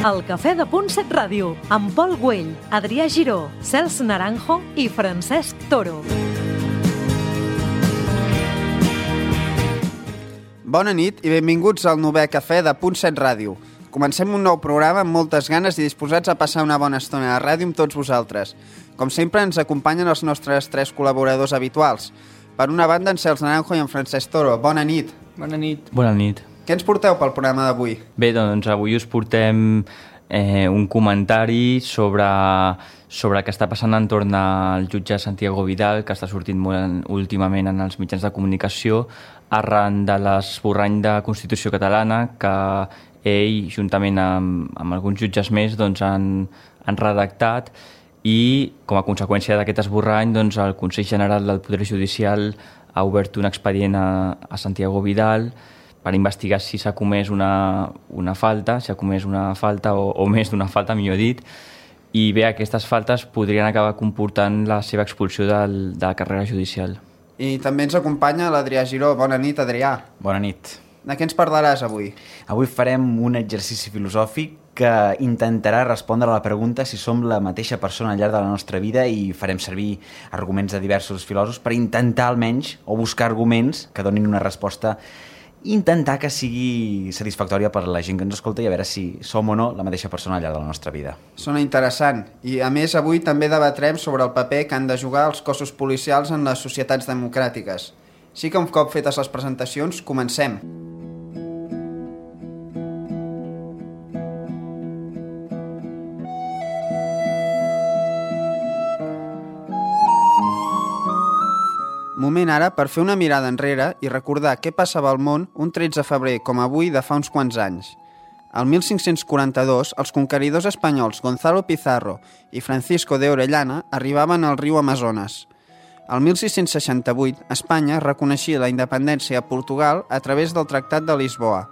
El Cafè de Punt 7 Ràdio, amb Pol Güell, Adrià Giró, Cels Naranjo i Francesc Toro. Bona nit i benvinguts al 9è Cafè de Punt 7 Ràdio. Comencem un nou programa amb moltes ganes i disposats a passar una bona estona a ràdio amb tots vosaltres. Com sempre, ens acompanyen els nostres 3 col·laboradors habituals. Per una banda, en Cels Naranjo i en Francesc Toro. Bona nit. Bona nit. Bona nit. Què ens porteu pel programa d'avui? Bé, doncs avui us portem un comentari sobre el que està passant entorn al jutge Santiago Vidal, que està sortint molt últimament en els mitjans de comunicació, arran de l'esborrany de Constitució catalana que ell, juntament amb alguns jutges més, doncs, han redactat, i com a conseqüència d'aquest esborrany, doncs, el Consell General del Poder Judicial ha obert un expedient a Santiago Vidal per investigar si s'ha comès una falta, o més d'una falta, millor dit, i bé, aquestes faltes podrien acabar comportant la seva expulsió de la carrera judicial. I també ens acompanya l'Adrià Giró. Bona nit, Adrià. Bona nit. De què ens parlaràs avui? Avui farem un exercici filosòfic que intentarà respondre a la pregunta si som la mateixa persona al llarg de la nostra vida, i farem servir arguments de diversos filòsofs per intentar almenys, o buscar arguments que donin una resposta, intentar que sigui satisfactòria per la gent que ens escolta i a veure si som o no la mateixa persona al llarg de la nostra vida. Sona interessant. I a més avui també debatrem sobre el paper que han de jugar els cossos policials en les societats democràtiques. Així que un cop fetes les presentacions, comencem. Moment ara per fer una mirada enrere i recordar què passava al món un 13 de febrer com avui de fa uns quants anys. Al 1542, els conqueridors espanyols Gonzalo Pizarro i Francisco de Orellana arribaven al riu Amazones. Al 1668, Espanya reconeixia la independència a Portugal a través del Tractat de Lisboa.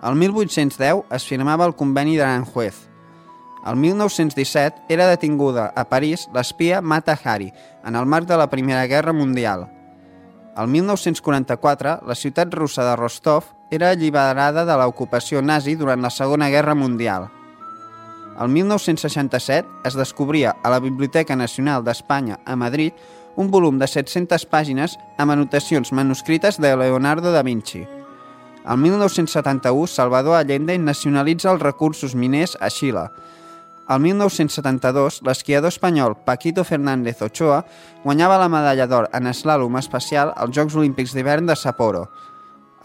Al 1810 es firmava el Conveni d'Aranjuez. Al 1917 era detinguda a París l'espia Mata Hari en el marc de la Primera Guerra Mundial. Al 1944, la ciutat russa de Rostov era alliberada de l'ocupació nazi durant la Segona Guerra Mundial. Al 1967 es descobria a la Biblioteca Nacional d'Espanya a Madrid un volum de 700 pàgines amb anotacions manuscrites de Leonardo da Vinci. Al 1971, Salvador Allende nacionalitza els recursos miners a Xile. Al 1972, l'esquiador espanyol Paquito Fernández Ochoa guanyava la medalla d'or en eslàlom espacial als Jocs Olímpics d'hivern de Sapporo.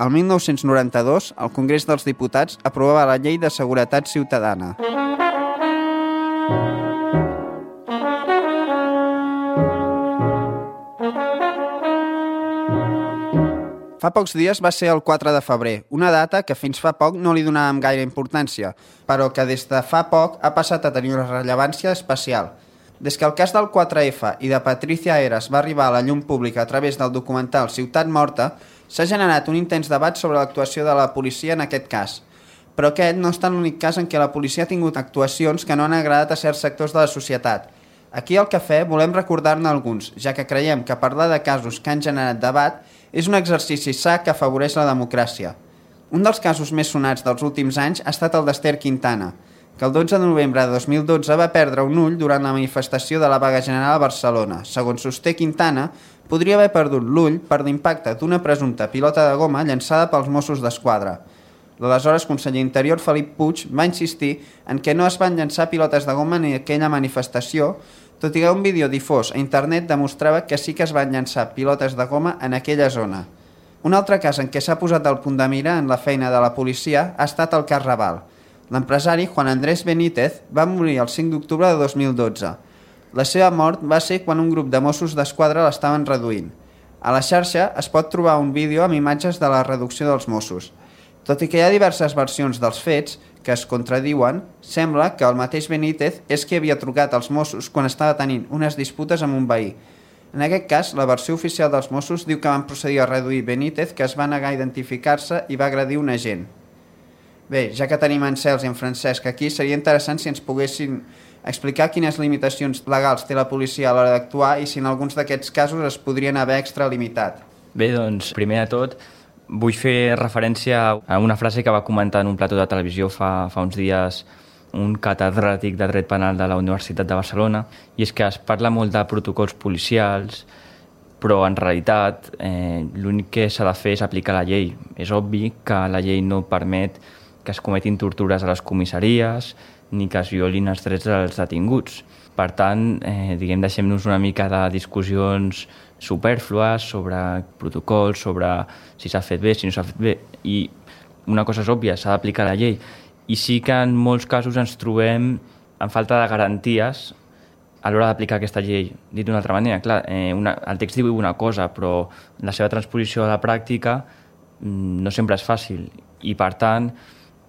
Al 1992, el Congrés dels Diputats aprovava la Llei de Seguretat Ciutadana. Fa pocs dies va ser el 4 de febrer, una data que fins fa poc no li donàvem gaire importància, però que des de fa poc ha passat a tenir una rellevància especial. Des que el cas del 4F i de Patricia Heras va arribar a la llum pública a través del documental Ciutat Morta, s'ha generat un intens debat sobre l'actuació de la policia en aquest cas. Però aquest no està l'únic cas en què la policia ha tingut actuacions que no han agradat a certs sectors de la societat. Aquí al Cafè volem recordar-ne alguns, ja que creiem que parlar de casos que han generat debat és un exercici sa que afavoreix la democràcia. Un dels casos més sonats dels últims anys ha estat el d'Ester Quintana, que el 12 de novembre de 2012 va perdre un ull durant la manifestació de la vaga general a Barcelona. Segons sosté Quintana, podria haver perdut l'ull per l'impacte d'una presumpta pilota de goma llançada pels Mossos d'Esquadra. L'aleshores conseller Interior Felip Puig va insistir en que no es van llançar pilotes de goma en aquella manifestació, tot i que un vídeo difós a internet demostrava que sí que es van llançar pilotes de goma en aquella zona. Un altre cas en què s'ha posat el punt de mira en la feina de la policia ha estat el cas Raval. L'empresari Juan Andrés Benítez va morir el 5 d'octubre de 2012. La seva mort va ser quan un grup de Mossos d'Esquadra l'estaven reduint. A la xarxa es pot trobar un vídeo amb imatges de la reducció dels Mossos. Tot i que hi ha diverses versions dels fets que es contradiuen, sembla que el mateix Benítez és qui havia trucat als Mossos quan estava tenint unes disputes amb un veí. En aquest cas, la versió oficial dels Mossos diu que van procedir a reduir Benítez, que es va negar a identificar-se i va agredir un agent. Bé, ja que tenim en Cels i en Francesc aquí, seria interessant si ens poguessin explicar quines limitacions legals té la policia a l'hora d'actuar i si en alguns d'aquests casos es podrien haver extralimitat. Bé, doncs, primer de tot, vull fer referència a una frase que va comentar en un plató de televisió fa uns dies un catedràtic de dret penal de la Universitat de Barcelona, i és que es parla molt de protocols policials, però en realitat l'únic que s'ha de fer és aplicar la llei. És obvi que la llei no permet que es cometin tortures a les comissaries ni que es violin els drets dels detinguts. Per tant, deixem-nos una mica de discussions supèrflues sobre protocols, sobre si s'ha fet bé, si no s'ha fet bé, i una cosa és òbvia, s'ha d'aplicar la llei. I sí que en molts casos ens trobem amb falta de garanties a l'hora d'aplicar aquesta llei. Dit d'una altra manera, clar, el text diu una cosa, però la seva transposició a la pràctica no sempre és fàcil. I, per tant,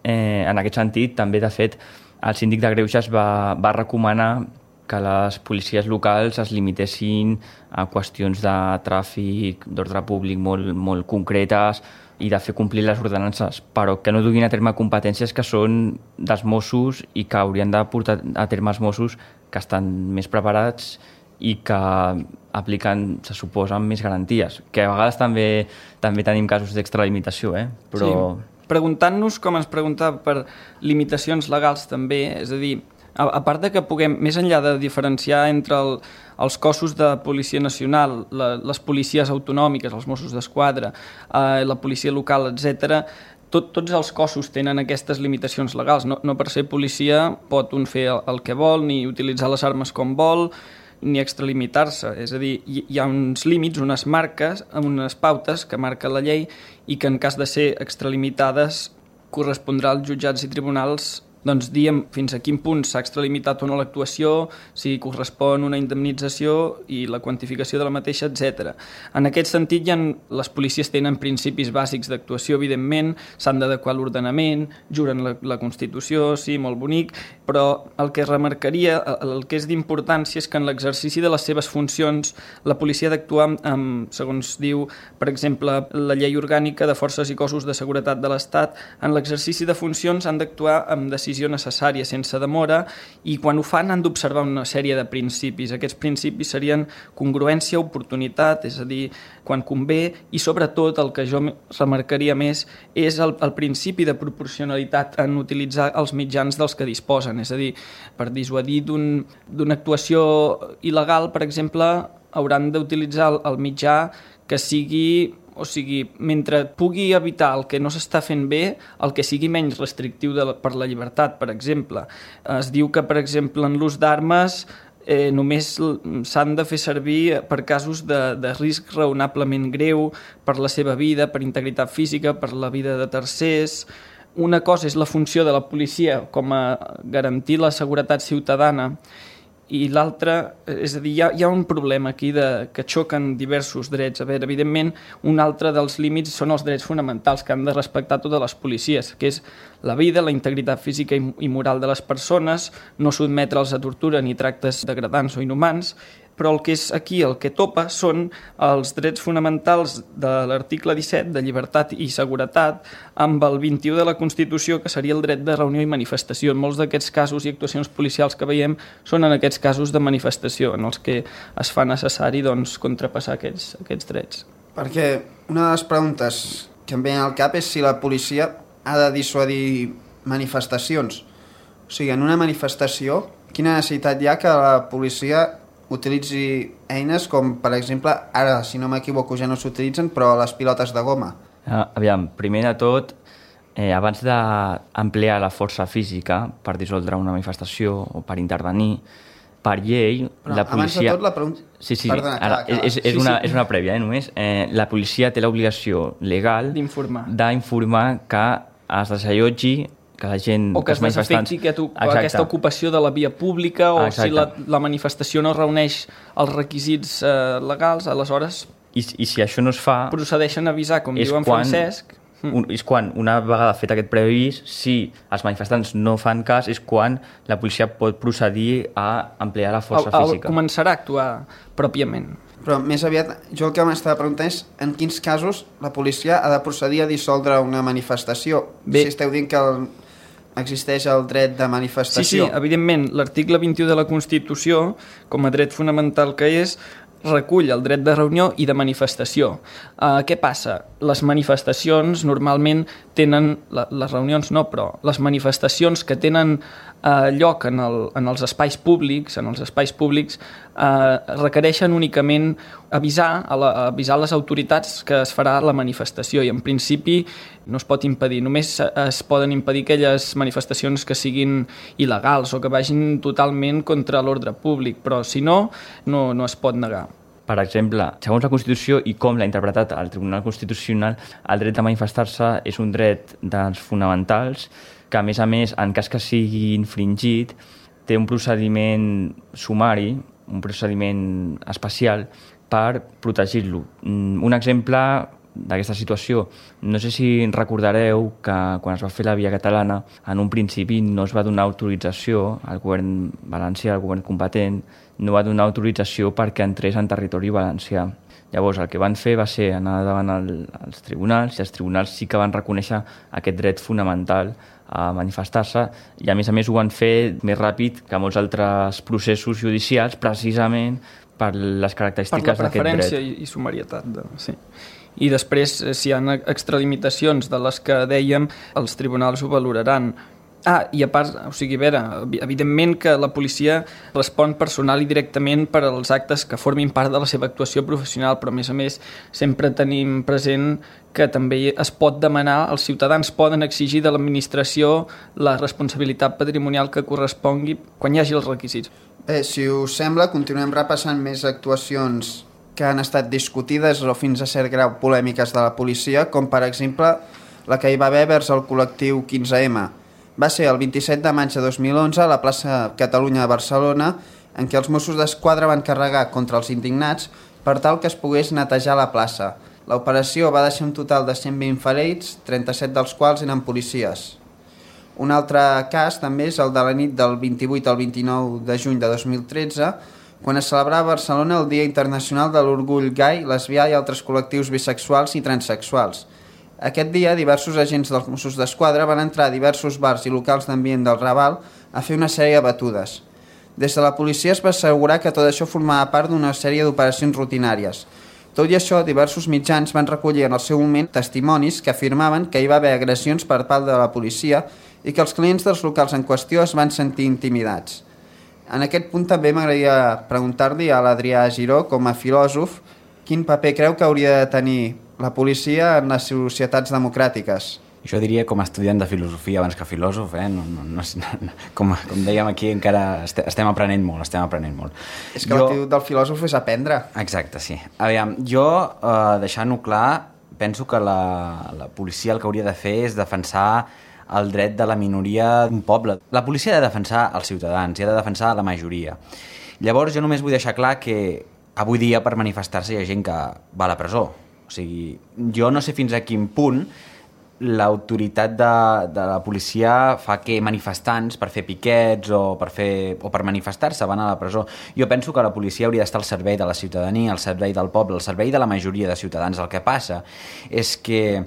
en aquest sentit, també, de fet, el síndic de Greuges va recomanar que les policies locals es limitessin a qüestions de tràfic, d'ordre públic molt concretes i de fer complir les ordenances, però que no duguin a terme competències que són dels Mossos i que haurien de portar a terme els Mossos, que estan més preparats i que apliquen, se suposa, més garanties. Que a vegades també tenim casos d'extralimitació, però... Sí. Preguntant-nos, com ens preguntava, per limitacions legals també, és a dir, a part de que puguem, més enllà de diferenciar entre els cossos de Policia Nacional, les policies autonòmiques, els Mossos d'Esquadra, la policia local, etc., tots els cossos tenen aquestes limitacions legals. No per ser policia pot un fer el que vol, ni utilitzar les armes com vol, ni extralimitar-se. És a dir, hi ha uns límits, unes marques, unes pautes que marca la llei i que en cas de ser extralimitades correspondrà als jutjats i tribunals diem fins a quin punt s'ha extralimitat o no l'actuació, si correspon una indemnització i la quantificació de la mateixa, etc. En aquest sentit, les policies tenen principis bàsics d'actuació, evidentment, s'han d'adequar l'ordenament, juren la Constitució, sí, molt bonic, però el que remarcaria, el que és d'importància és que en l'exercici de les seves funcions la policia ha d'actuar amb, segons diu, per exemple, la Llei Orgànica de Forces i Cossos de Seguretat de l'Estat, en l'exercici de funcions han d'actuar amb decisió necessària, sense demora, i quan ho fan han d'observar una sèrie de principis. Aquests principis serien congruència, oportunitat, és a dir, quan convé, i sobretot el que jo remarcaria més és el principi de proporcionalitat en utilitzar els mitjans dels que disposen. És a dir, per dissuadir d'una actuació il·legal, per exemple, hauran d'utilitzar el mitjà que sigui... O sigui, mentre pugui evitar el que no s'està fent bé, el que sigui menys restrictiu per la llibertat, per exemple. Es diu que, per exemple, en l'ús d'armes només s'han de fer servir per casos de risc raonablement greu per la seva vida, per integritat física, per la vida de tercers. Una cosa és la funció de la policia com a garantir la seguretat ciutadana, i l'altra, és a dir, hi ha un problema aquí que xoquen diversos drets. A veure, evidentment, un altre dels límits són els drets fonamentals que han de respectar totes les policies, que és la vida, la integritat física i moral de les persones, no sotmetre'ls a tortura ni tractes degradants o inhumans, però el que és aquí, el que topa, són els drets fonamentals de l'article 17, de llibertat i seguretat, amb el 21 de la Constitució, que seria el dret de reunió i manifestació. En molts d'aquests casos i actuacions policials que veiem són en aquests casos de manifestació, en els que es fa necessari contrapassar aquests drets. Perquè una de les preguntes que em ve al cap és si la policia ha de dissuadir manifestacions. O sigui, en una manifestació, quina necessitat hi ha que la policia utilitzi eines com, per exemple, ara, si no m'equivoco, ja no s'utilitzen, però les pilotes de goma? Aviam, primer de tot, abans d'ampliar la força física per dissoldre una manifestació o per intervenir, per llei, però la policia... Abans de tot, la pregunta... Sí, Perdona, ara, és una prèvia, només. La policia té l'obligació legal d'informar que es desallotgi, que la gent... O que es desafecti aquesta ocupació de la via pública, o si la manifestació no reuneix els requisits legals, aleshores... I si això no es fa... Procedeixen a avisar, com diu en Francesc... És quan, una vegada fet aquest preavís, si els manifestants no fan cas, és quan la policia pot procedir a ampliar la força física. Començarà a actuar pròpiament. Però més aviat, jo el que m'estava preguntant és en quins casos la policia ha de procedir a dissoldre una manifestació. Si esteu dient que existeix el dret de manifestació. Sí, evidentment, l'article 21 de la Constitució, com a dret fonamental que és, recull el dret de reunió i de manifestació. Què passa? Les manifestacions normalment tenen, les reunions no, però les manifestacions que tenen lloc en els espais públics, requereixen únicament avisar les autoritats que es farà la manifestació i en principi no es pot impedir, només es poden impedir aquelles manifestacions que siguin il·legals o que vagin totalment contra l'ordre públic, però si no, no es pot negar. Per exemple, segons la Constitució i com l'ha interpretat el Tribunal Constitucional, el dret de manifestar-se és un dret dels fonamentals que, a més, en cas que sigui infringit, té un procediment sumari, un procediment especial per protegir-lo. Un exemple d'aquesta situació, no sé si recordareu que quan es va fer la via catalana, en un principi no es va donar autorització al govern valencià, al govern competent, no va donar autorització perquè entrés en territori valencià. Llavors, el que van fer va ser anar davant als tribunals, i els tribunals sí que van reconèixer aquest dret fonamental a manifestar-se, i a més ho van fer més ràpid que molts altres processos judicials, precisament per les característiques d'aquest dret. Per la preferència i sumarietat, sí. I després, si hi ha extralimitacions de les que dèiem, els tribunals ho valoraran. I a part, evidentment que la policia respon personal i directament per als actes que formin part de la seva actuació professional, però a més sempre tenim present que també es pot demanar, els ciutadans poden exigir de l'administració la responsabilitat patrimonial que correspongui quan hi hagi els requisits. Si us sembla, continuem repassant més actuacions que han estat discutides o fins a cert grau polèmiques de la policia, com per exemple la que hi va haver vers el col·lectiu 15M. Va ser el 27 de maig de 2011 a la plaça Catalunya de Barcelona, en què els Mossos d'Esquadra van carregar contra els indignats per tal que es pogués netejar la plaça. L'operació va deixar un total de 120 ferits, 37 dels quals eren policies. Un altre cas també és el de la nit del 28 al 29 de juny de 2013, quan es celebrava a Barcelona el Dia Internacional de l'Orgull gai, lesbià i altres col·lectius bisexuals i transsexuals. Aquest dia, diversos agents dels Mossos d'Esquadra van entrar a diversos bars i locals d'ambient del Raval a fer una sèrie de batudes. Des de la policia es va assegurar que tot això formava part d'una sèrie d'operacions rutinàries. Tot i això, diversos mitjans van recollir en el seu moment testimonis que afirmaven que hi va haver agressions per part de la policia i que els clients dels locals en qüestió es van sentir intimidats. En aquest punt també m'agradaria preguntar-li a l'Adrià Giró, com a filòsof, quin paper creu que hauria de tenir la policia en les societats democràtiques. Jo diria com a estudiant de filosofia abans que filòsof, com dèiem aquí encara estem aprenent molt. És que l'actitud del filòsof és aprendre. Exacte, sí. Aviam, jo, deixant-ho clar, penso que la policia el que hauria de fer és defensar el dret de la minoria d'un poble. La policia ha de defensar els ciutadans i ha de defensar la majoria. Llavors jo només vull deixar clar que avui dia per manifestar-se hi ha gent que va a la presó. O sigui, jo no sé fins a quin punt l'autoritat de la policia fa que manifestants per fer piquets o per manifestar-se van a la presó. Jo penso que la policia hauria d'estar al servei de la ciutadania, al servei del poble, al servei de la majoria de ciutadans. El que passa és que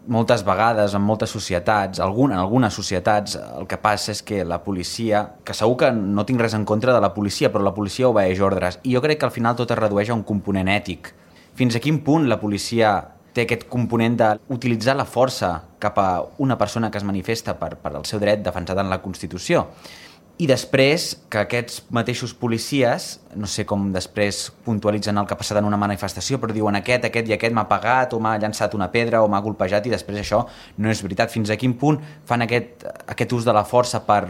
moltes vegades, en moltes societats, en algunes societats, el que passa és que la policia, que segur que no tinc res en contra de la policia, però la policia obeeix ordres, i jo crec que al final tot es redueix a un component ètic. Fins a quin punt la policia té aquest component d'utilitzar la força cap a una persona que es manifesta per el seu dret defensat en la Constitució? I després que aquests mateixos policies, no sé com després puntualitzen el que ha passat en una manifestació, però diuen aquest i aquest m'ha pegat o m'ha llançat una pedra o m'ha golpejat, i després això no és veritat. Fins a quin punt fan aquest ús de la força per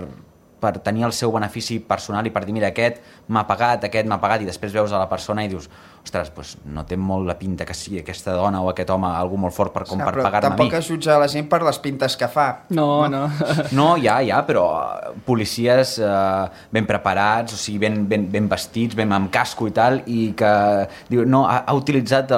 tenir el seu benefici personal i per dir, mira, aquest m'ha pagat, i després veus a la persona i dius, ostres, doncs no té molt la pinta que sigui aquesta dona o aquest home algú molt fort per pagar-me a mi. Tampoc es jutja la gent per les pintes que fa. No. No, ja, però policies ben preparats, o sigui, ben vestits, ben amb casco i tal, i que diu, no, ha utilitzat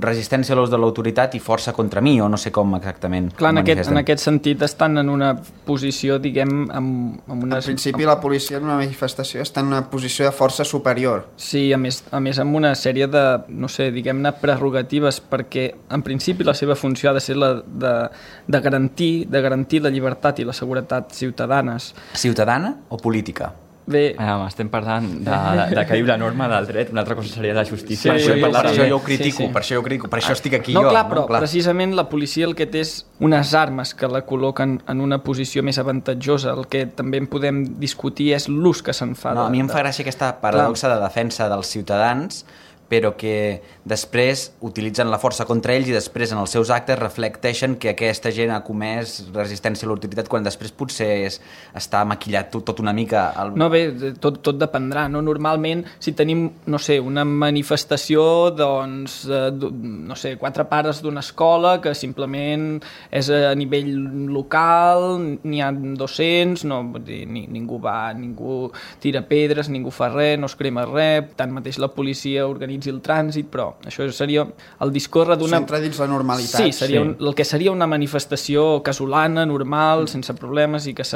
resistència a l'ús de l'autoritat i força contra mi, o no sé com exactament. Clar, en aquest sentit estan en una posició, diguem, amb una... En principi la policia en una manifestació està en una posició de força superior. Sí, a més amb una sèrie de, no sé, diguem-ne, prerrogatives, perquè en principi la seva funció ha de ser la de garantir la llibertat i la seguretat ciutadanes. Ciutadana o política? Bé, Estem parlant de que diu la norma del dret, una altra cosa seria la justícia. Sí, Per això sí. jo ho critico, Sí. per això jo ho critico, per això estic aquí no, jo. clar, però precisament la policia el que té és unes armes que la col·loquen en una posició més avantatjosa. El que també en podem discutir és l'ús que se'n fa. No, a mi em fa gràcia aquesta paradoxa de defensa dels ciutadans, però que després utilitzen la força contra ells i després en els seus actes reflecteixen que aquesta gent ha comès resistència a l'autoritat quan després potser està maquillat tot una mica. No, bé, tot dependrà, no? Normalment, si tenim, no sé, una manifestació, doncs, no sé, 4 pares d'una escola que simplement és a nivell local, n'hi ha 200, no, vull dir, ningú tira pedres, ningú fa res, no es crema res, tanmateix la policia organitza el trànsit, però això seria el discórrer d'una... S'entra dins la normalitat. Sí, seria el que seria una manifestació casolana, normal, sense problemes, i que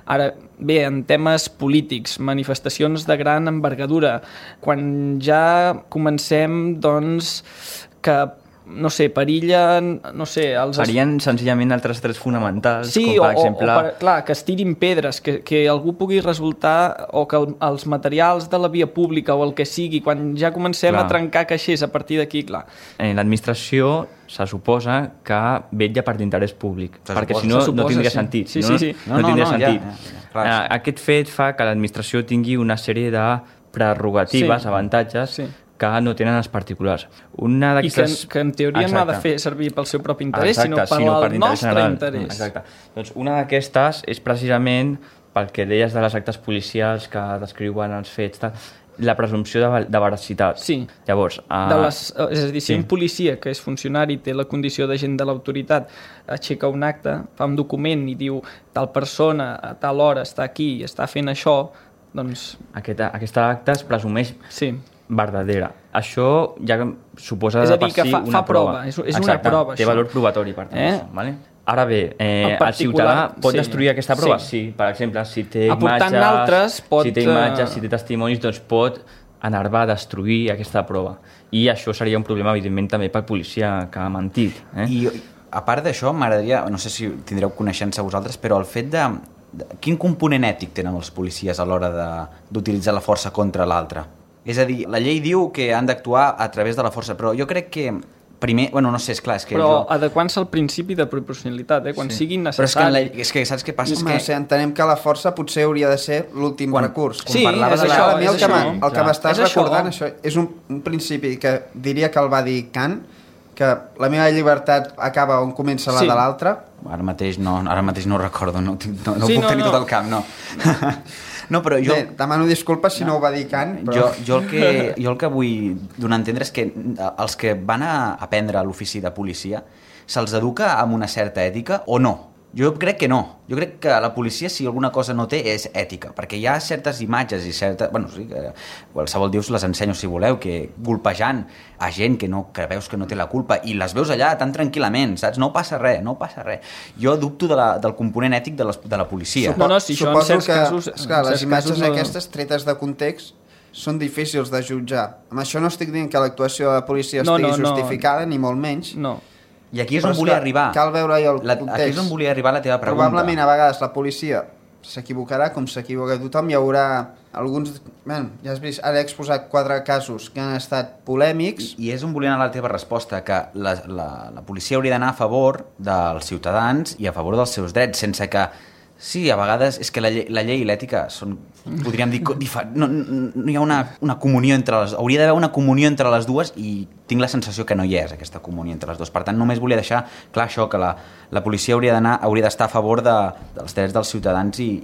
ara, bé, en temes polítics, manifestacions de gran envergadura, quan ja comencem, doncs, que no sé, perillen, no sé... Farien senzillament altres drets fonamentals, sí, com per exemple... clar, que es tirin pedres, que algú pugui resultar, o que els materials de la via pública o el que sigui, quan ja comencem a trencar caixers a partir d'aquí, clar. L'administració se suposa que vetlla per l'interès públic, perquè si no, no tindria sentit. Sí. No tindria sentit. Ja. Aquest fet fa que l'administració tingui una sèrie de prerrogatives, avantatges, que no tenen els particulars. I que en teoria no ha de fer servir pel seu propi interès, sinó per nostre interès. Exacte. Doncs una d'aquestes és precisament pel que deies de les actes policials que descriuen els fets, la presumpció de veracitat. Sí. Llavors, és a dir, si un policia que és funcionari té la condició d'agent de l'autoritat, aixeca un acte, fa un document i diu tal persona a tal hora està aquí i està fent això, doncs... Aquest acte es presumeix verdadera. Això ja suposa és a dir, per si una prova. És una prova, té valor probatori, per tant. Això, vale? Ara bé, el ciutadà pot destruir aquesta prova? Sí. Per exemple, si té imatges, si té testimonis, doncs pot enervar, destruir aquesta prova. I això seria un problema, evidentment, també pel policia que ha mentit. I a part d'això, m'agradaria, no sé si tindreu coneixença vosaltres, però el fet de quin component ètic tenen els policies a l'hora d'utilitzar la força contra l'altre? És a dir, la llei diu que han d'actuar a través de la força, però jo crec que primer... Bueno, no sé, esclar, és que... Però adequant-se al principi de proporcionalitat, quan sigui necessari. Però és que saps què passa? Entenem que la força potser hauria de ser l'últim recurs. Sí, és això. El que m'estàs recordant, això és un principi que diria que el va dir Kant, que la meva llibertat acaba on comença la de l'altre. Ara mateix no ho recordo, no puc tenir tot el camp, no. No, però jo... Bé, demano disculpes si no ho va dir Kant, però... Jo el que vull donar a entendre és que els que van a aprendre a l'ofici de policia se'ls educa amb una certa ètica o no? Jo crec que no. Jo crec que la policia, si alguna cosa no té, és ètica, perquè hi ha certes imatges i certes... Bueno, sí, que qualsevol dius les ensenyo si voleu, que golpejant a gent que veus que no té la culpa i les veus allà tan tranquil·lament, saps? No passa res. Jo dubto del component ètic de la policia. Suposo que les imatges aquestes tretes de context són difícils de jutjar. Amb això no estic dient que l'actuació de la policia estigui justificada, ni molt menys. No. I aquí és on volia arribar. Cal veure-hi el context. Aquí és on volia arribar la teva pregunta. Probablement a vegades la policia s'equivocarà com s'equivoca tothom. Hi haurà alguns... ja has vist, ara he exposat 4 casos que han estat polèmics. I és on volia anar la teva resposta, que la policia hauria d'anar a favor dels ciutadans i a favor dels seus drets, sense que... Sí, a vegades és que la llei i l'ètica són, podríem dir, no hi ha una comunió entre les... Hauria d'haver una comunió entre les dues i tinc la sensació que no hi és aquesta comunió entre les dues. Per tant, només volia deixar clar això, que la policia hauria d'estar a favor dels drets dels ciutadans i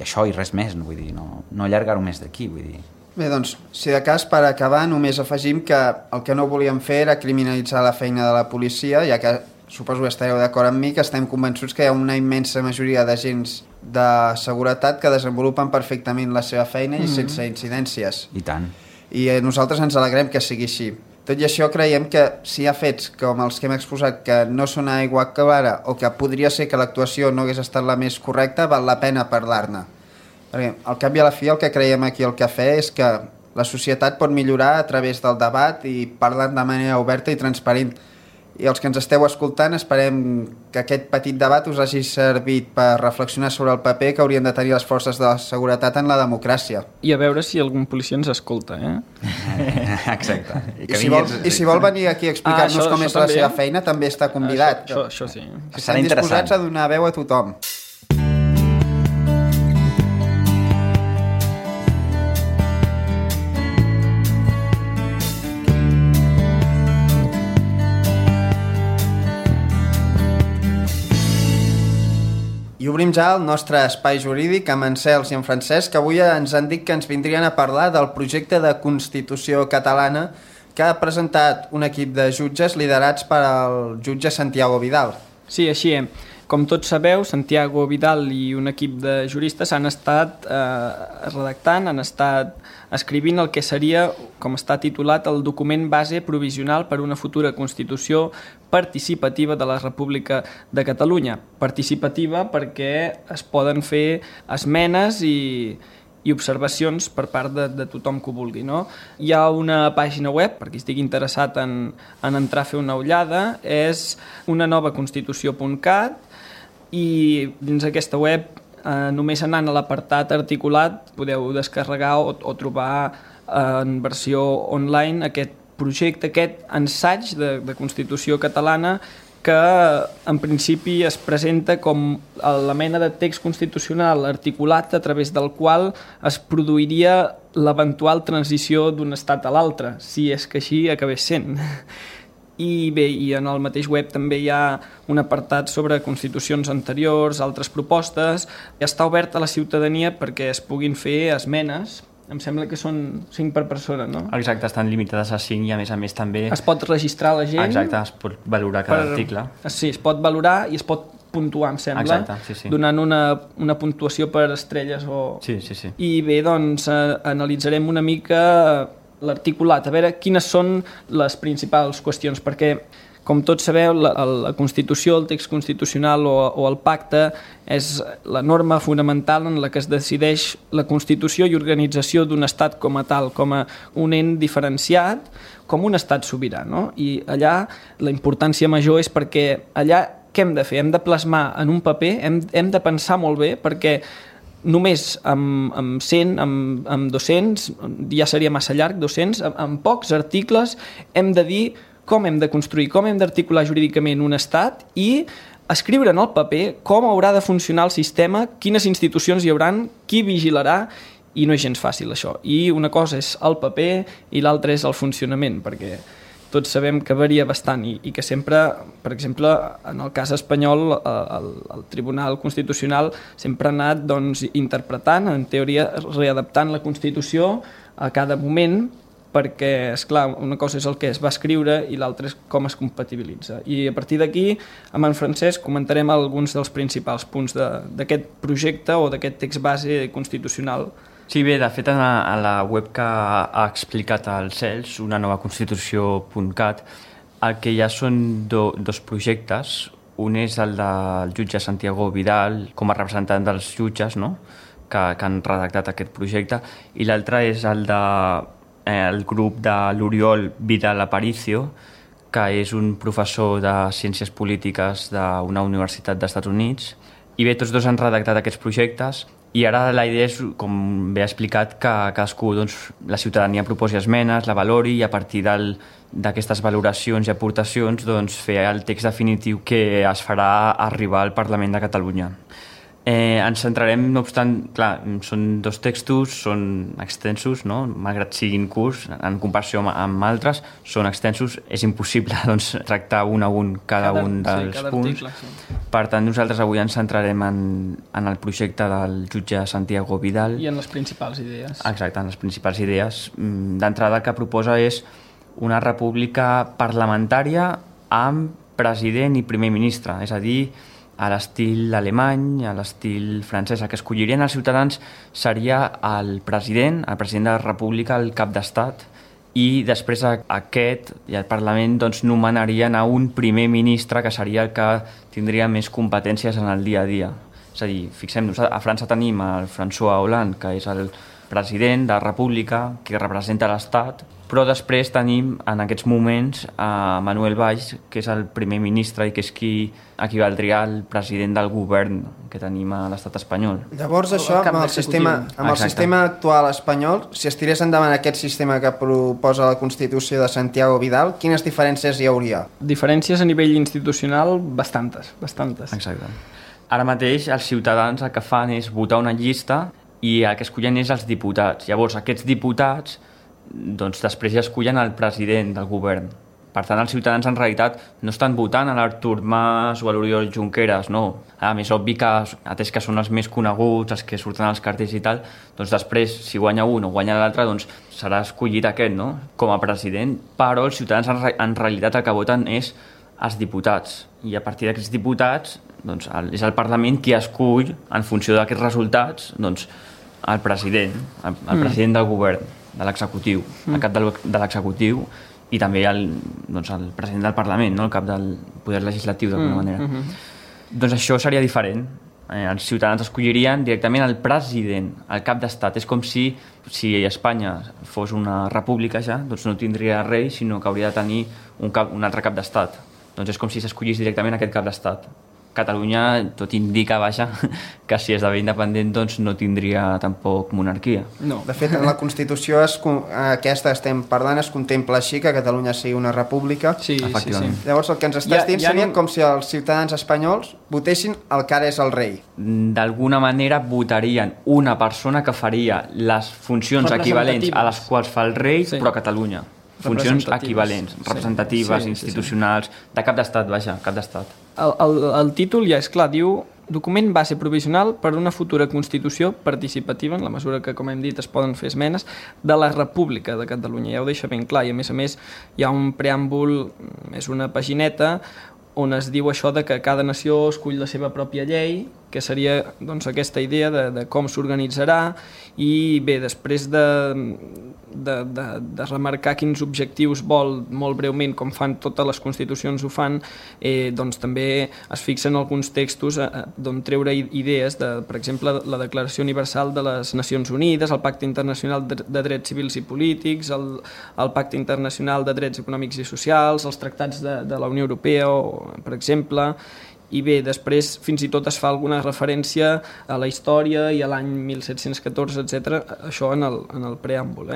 això i res més, no vull dir, no allargar-ho més d'aquí, vull dir... Bé, doncs, si de cas, per acabar, només afegim que el que no volíem fer era criminalitzar la feina de la policia, ja que suposo que estareu d'acord amb mi, que estem convençuts que hi ha una immensa majoria d'agents de seguretat que desenvolupen perfectament la seva feina i sense incidències. I tant. I nosaltres ens alegrem que sigui així. Tot i això, creiem que si hi ha fets com els que hem exposat que no són aigua clara o que podria ser que l'actuació no hagués estat la més correcta, val la pena parlar-ne. Perquè, al cap i a la fi, el que creiem aquí al cafè és que la societat pot millorar a través del debat i parlant de manera oberta i transparent. I els que ens esteu escoltant, esperem que aquest petit debat us hagi servit per reflexionar sobre el paper que haurien de tenir les forces de seguretat en la democràcia. I a veure si algun policia ens escolta, Exacte. I si vol venir aquí a explicar-nos com és la seva feina, també està convidat. Això sí. Estem disposats a donar veu a tothom. I obrim ja el nostre espai jurídic amb en Cels i en Francesc, que avui ens han dit que ens vindrien a parlar del projecte de Constitució catalana que ha presentat un equip de jutges liderats per el jutge Santiago Vidal. Sí, així és. Com tots sabeu, Santiago Vidal i un equip de juristes han estat redactant, han estat escrivint el que seria, com està titulat, el document base provisional per una futura Constitució participativa de la República de Catalunya. Participativa perquè es poden fer esmenes i observacions per part de tothom que ho vulgui. No? Hi ha una pàgina web, per qui estigui interessat en entrar a fer una ullada, és unanovaconstitució.cat, i dins aquesta web, només anant a l'apartat articulat, podeu descarregar o trobar en versió online aquest projecte, aquest ensaig de Constitució catalana que en principi es presenta com la mena de text constitucional articulat a través del qual es produiria l'eventual transició d'un estat a l'altre, si és que així acabés sent. I bé, i en el mateix web també hi ha un apartat sobre constitucions anteriors, altres propostes. Està obert a la ciutadania perquè es puguin fer esmenes. Em sembla que són 5 per persona, no? Exacte, estan limitades a 5 i a més també... Es pot registrar la gent... Exacte, es pot valorar cada article. Sí, es pot valorar i es pot puntuar, em sembla. Exacte, sí. Donant una puntuació per estrelles o... Sí. I bé, doncs analitzarem una mica l'articulat, a veure quines són les principals qüestions, perquè, com tots sabeu, la Constitució, el text constitucional o el pacte és la norma fonamental en la que es decideix la constitució i organització d'un estat com a tal, com a un ent diferenciat, com un estat sobirà, no? I allà la importància major és perquè allà què hem de fer? Hem de plasmar en un paper, hem de pensar molt bé, perquè només amb 100, amb 200, ja seria massa llarg, 200, amb pocs articles hem de dir com hem de construir, com hem d'articular jurídicament un estat i escriure en el paper com haurà de funcionar el sistema, quines institucions hi hauran, qui vigilarà, i no és gens fàcil això. I una cosa és el paper i l'altra és el funcionament, perquè tots sabem que varia bastant i que sempre, per exemple, en el cas espanyol, el Tribunal Constitucional sempre ha anat interpretant, en teoria readaptant la Constitució a cada moment, perquè, esclar, una cosa és el que es va escriure i l'altra és com es compatibilitza. I a partir d'aquí, amb en Francesc, comentarem alguns dels principals punts d'aquest projecte o d'aquest text base constitucional. Sí, bé, de fet, a la web que ha explicat el Cels, unanovaconstitució.cat, el que hi ha són dos projectes. Un és el del jutge Santiago Vidal, com a representant dels jutges, no?, que han redactat aquest projecte, i l'altre és el del grup de l'Oriol Vidal Aparicio, que és un professor de Ciències Polítiques d'una universitat dels Estats Units. I bé, tots dos han redactat aquests projectes, i ara la idea és, com bé ha explicat, que cadascú, la ciutadania proposi esmenes, la valori i a partir d'aquestes valoracions i aportacions fer el text definitiu que es farà arribar al Parlament de Catalunya. Ens centrarem, no obstant, clar, són dos textos, són extensos, no? Malgrat siguin curts, en comparació amb altres, són extensos, és impossible tractar un a un cada un dels punts. Article, sí. Per tant, nosaltres avui ens centrarem en el projecte del jutge Santiago Vidal. I en les principals idees. Exacte, en les principals idees. D'entrada, el que proposa és una república parlamentària amb president i primer ministre, és a dir, a l'estil alemany, a l'estil francès. El que escollirien els ciutadans seria el president de la república, el cap d'estat, i després aquest i el Parlament nomenarien a un primer ministre que seria el que tindria més competències en el dia a dia. És a dir, fixem-nos, a França tenim el François Hollande, que és el president de la república, que representa l'Estat, però després tenim en aquests moments a Manuel Valls, que és el primer ministre i que és qui equivaldria al president del govern que tenim a l'estat espanyol. Llavors això, amb el sistema actual espanyol, si es tirés endavant aquest sistema que proposa la Constitució de Santiago Vidal, quines diferències hi hauria? Diferències a nivell institucional bastantes. Exacte. Ara mateix els ciutadans el que fan és votar una llista i el que escollen és els diputats. Llavors aquests diputats doncs després ja escollen el president del govern. Per tant, els ciutadans en realitat no estan votant a l'Artur Mas o a l'Oriol Junqueras, no. A més, obvi que, atès que són els més coneguts, els que surten als cartells i tal, doncs després, si guanya un o guanya l'altre, doncs serà escollit aquest, no?, com a president, però els ciutadans en realitat el que voten és els diputats. I a partir d'aquests diputats, doncs, és el Parlament qui escull, en funció d'aquests resultats, doncs, el president, el president del govern, de l'executiu, el cap de l'executiu, i també el president del Parlament, no? El cap del poder legislatiu, d'alguna manera. Doncs això seria diferent. Els ciutadans escollirien directament el president, el cap d'estat. És com si Espanya fos una república ja, doncs no tindria rei, sinó que hauria de tenir un altre cap d'estat. Doncs és com si s'escollís directament aquest cap d'estat. Catalunya, tot indica, que si esdevé independent doncs no tindria tampoc monarquia. No. De fet, en la Constitució aquesta que estem parlant es contempla així, que Catalunya sigui una república. Sí, efectivament. Sí. Llavors el que ens estàs dient seria com si els ciutadans espanyols votessin el que ara és el rei. D'alguna manera votarien una persona que faria les funcions equivalents a les quals fa el rei, però a Catalunya. Funcions equivalents, representatives, institucionals, de cap d'estat, cap d'estat. El títol ja és clar, diu document base provisional per una futura Constitució participativa, en la mesura que, com hem dit, es poden fer esmenes, de la República de Catalunya. Ja ho deixa ben clar, i a més hi ha un preàmbul, és una pagineta, on es diu això de que cada nació escull la seva pròpia llei, que seria doncs, aquesta idea de com s'organitzarà, i bé, després de remarcar quins objectius vol molt breument, com fan totes les constitucions ho fan, doncs també es fixen alguns textos d'on treure idees, per exemple, la Declaració Universal de les Nacions Unides, el Pacte Internacional de Drets Civils i Polítics, el Pacte Internacional de Drets Econòmics i Socials, els tractats de la Unió Europea, per exemple, i bé, després fins i tot es fa alguna referència a la història i a l'any 1714, etc. Això en el preàmbul.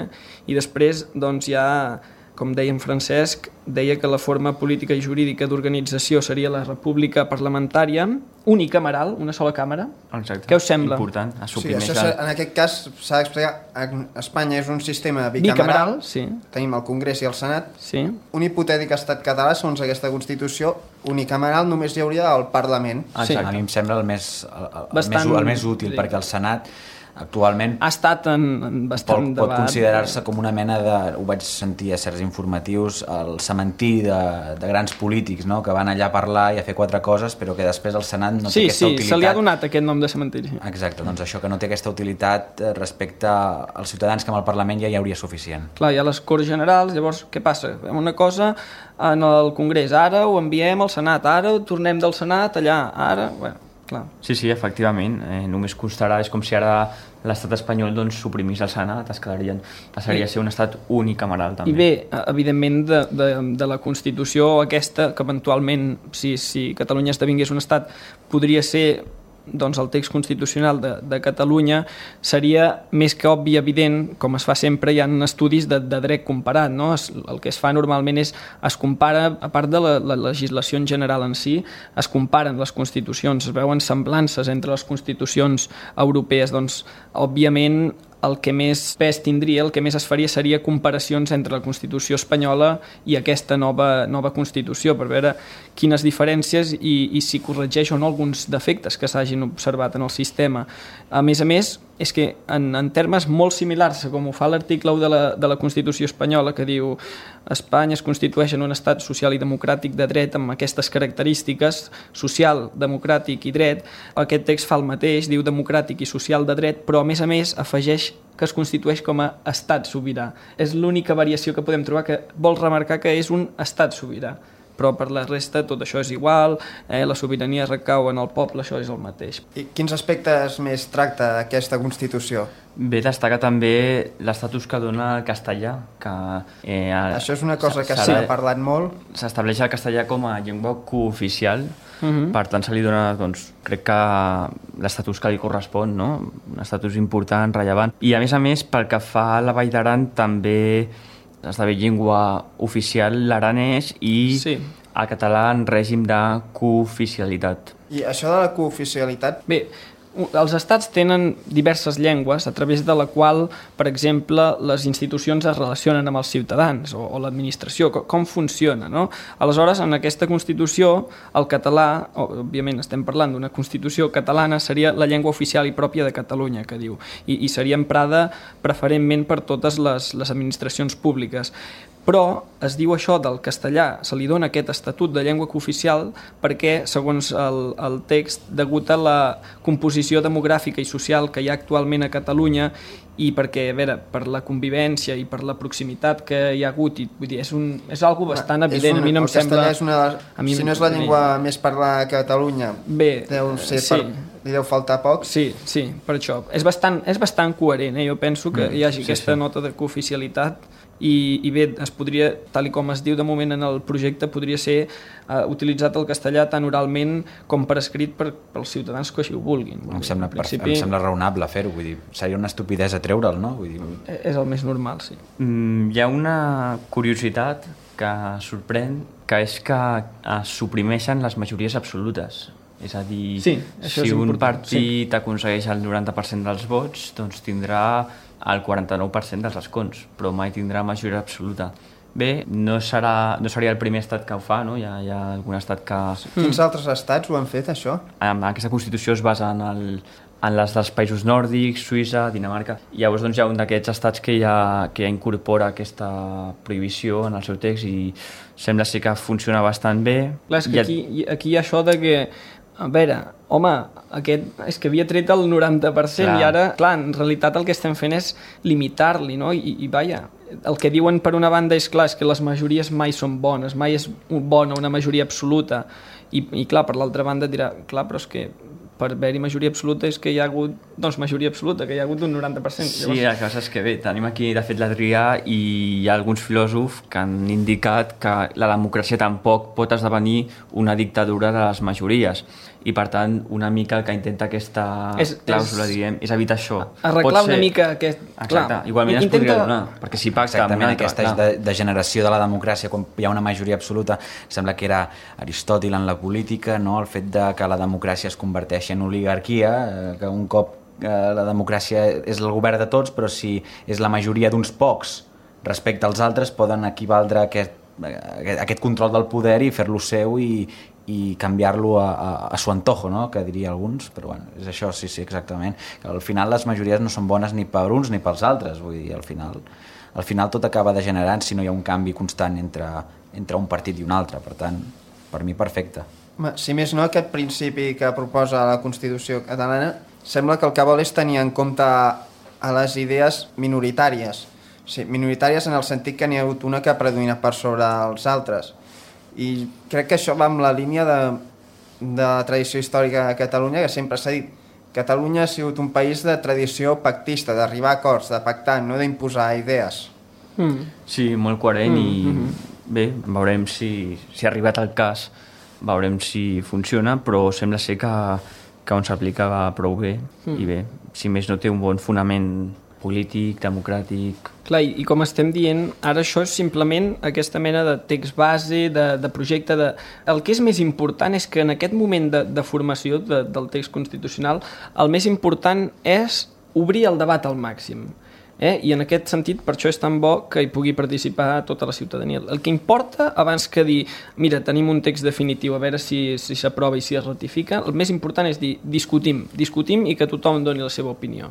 I després, doncs, ja, com deia en Francesc, deia que la forma política i jurídica d'organització seria la república parlamentària, unicameral, una sola càmera. Exacte. Què us sembla? Important. Sí, en aquest cas s'ha d'explicar. Espanya és un sistema bicameral. Sí. Tenim el Congrés i el Senat. Sí. Un hipotètic estat català, segons aquesta Constitució, unicameral només hi hauria el Parlament. Sí. A mi em sembla el més útil, perquè el Senat actualment ha estat en bastant pot considerar-se com una mena de, ho vaig sentir a certs informatius, el cementiri de grans polítics, no? Que van allà a parlar i a fer 4 coses, però que després el Senat no té aquesta utilitat. Sí, se li ha donat aquest nom de cementiri. Exacte, doncs això que no té aquesta utilitat respecte als ciutadans, que amb el Parlament ja hi hauria suficient. Clar, hi ha les Corts Generals, llavors què passa? Fem una cosa en el Congrés, ara ho enviem al Senat, ara tornem del Senat allà, ara... Bueno, clar. Sí, efectivament. Només constarà, és com si ara l'estat espanyol doncs, suprimís el Senat, passaria a ser un estat unicameral també. I bé, evidentment de la Constitució aquesta, que eventualment, si Catalunya esdevingués un estat, podria ser doncs el text constitucional de Catalunya, seria més que obvi i evident, com es fa sempre, hi ha estudis de dret comparat, no? El que es fa normalment és, es compara, a part de la legislació en general en si, es comparen les constitucions, es veuen semblances entre les constitucions europees, doncs, òbviament, el que més pes tindria, el que més es faria seria comparacions entre la Constitució espanyola i aquesta nova Constitució, per veure quines diferències i si corregeix o no alguns defectes que s'hagin observat en el sistema. A més, és que en termes molt similars a com ho fa l'article 1 de la Constitució espanyola, que diu Espanya es constitueix en un estat social i democràtic de dret amb aquestes característiques, social, democràtic i dret, aquest text fa el mateix, diu democràtic i social de dret, però a més afegeix que es constitueix com a estat sobirà. És l'única variació que podem trobar, que vol remarcar que és un estat sobirà. però per la resta tot això és igual, la sobirania recau en el poble, això és el mateix. I quins aspectes més tracta aquesta Constitució? Bé, destaca també l'estatus que dona el castellà, que... Això és una cosa que s'ha parlat molt. S'estableix el castellà com a llengua cooficial, per tant se li dona, doncs, crec que l'estatus que li correspon, no? Un estatus important, rellevant. I a més, pel que fa a la Vall d'Aran, també esdevé llengua oficial l'aranès i el català en règim de cooficialitat. I això de la cooficialitat... Bé, els estats tenen diverses llengües a través de la qual, per exemple, les institucions es relacionen amb els ciutadans o l'administració, com funciona, no? Aleshores, en aquesta Constitució, el català, òbviament estem parlant d'una Constitució catalana, seria la llengua oficial i pròpia de Catalunya, que diu, i seria emprada preferentment per totes les administracions públiques. Però es diu això del castellà, se li dona aquest estatut de llengua cooficial perquè, segons el text, degut a la composició demogràfica i social que hi ha actualment a Catalunya i perquè, a veure, per la convivència i per la proximitat que hi ha hagut, vull dir, és algo bastant evident. A mi no em sembla... El castellà és si no és la llengua més parlada a Catalunya, li deu faltar poc. Sí, per això. És bastant coherent, jo penso que hi hagi aquesta nota de cooficialitat. I bé, es podria, tal com es diu de moment en el projecte, podria ser utilitzat el castellà tant oralment com per escrit pels ciutadans que així ho vulguin. Em sembla raonable fer-ho, vull dir, seria una estupidesa treure'l, no? Vull dir... És el més normal, sí. Hi ha una curiositat que sorprèn, que és que es suprimeixen les majories absolutes. És a dir, si un partit aconsegueix el 90% dels vots, doncs tindrà el 49% dels escons, però mai tindrà majoria absoluta. Bé, no seria el primer estat que ho fa, no? Hi ha algun estat que... Quins altres estats ho han fet, això? Aquesta Constitució es basa en les dels països nòrdics, Suïssa, Dinamarca. Llavors doncs, hi ha un d'aquests estats que ja incorpora aquesta prohibició en el seu text i sembla ser que funciona bastant bé. Clar, és que aquí hi ha això de que, a veure, home, és que havia tret el 90% i ara, clar, en realitat el que estem fent és limitar-li, no? I vaja, el que diuen per una banda és clar, és que les majories mai són bones, mai és bona una majoria absoluta. I clar, per l'altra banda dirà, clar, però és que per haver-hi majoria absoluta és que hi ha hagut, doncs, majoria absoluta, que hi ha hagut un 90%. Sí, el que passa és que bé, tenim aquí de fet l'Adrià i hi ha alguns filòsofs que han indicat que la democràcia tampoc pot esdevenir una dictadura de les majories i per tant una mica el que intenta aquesta clàusula, diguem, és evitar això. Arreglar una mica aquest... Exacte, igualment es podria donar, perquè si pacta... Exactament, aquesta degeneració de la democràcia, quan hi ha una majoria absoluta, sembla que era Aristòtil en la política, no? El fet de que la democràcia es converteixi en oligarquia, que un cop la democràcia és el govern de tots, però si és la majoria d'uns pocs respecte als altres, poden equivaldre aquest control del poder i fer-lo seu i canviar-lo a su antojo, no? Que diria alguns, però bueno, és això, sí, exactament. Al final les majories no són bones ni per uns ni pels altres, vull dir, al final tot acaba degenerant si no hi ha un canvi constant entre un partit i un altre, per tant, per mi perfecte. Si més no, aquest principi que proposa la Constitució catalana sembla que el que vol és tenir en compte a les idees minoritàries. Sí, minoritàries en el sentit que n'hi ha hagut una que ha predominat per sobre els altres. I crec que això va amb la línia de la tradició històrica de Catalunya, que sempre s'ha dit. Catalunya ha sigut un país de tradició pactista, d'arribar a acords, de pactar, no d'imposar idees. Sí, molt coherent i bé, veurem si ha arribat el cas, veurem si funciona, però sembla ser que on s'aplica va prou bé i bé, si més no té un bon fonament polític, democràtic... Clar, i com estem dient, ara això és simplement aquesta mena de text base, de projecte... El que és més important és que en aquest moment de formació del text constitucional, el més important és obrir el debat al màxim. I en aquest sentit, per això és tan bo que hi pugui participar tota la ciutadania. El que importa, abans que dir, mira, tenim un text definitiu, a veure si s'aprova i si es ratifica, el més important és dir, discutim i que tothom doni la seva opinió.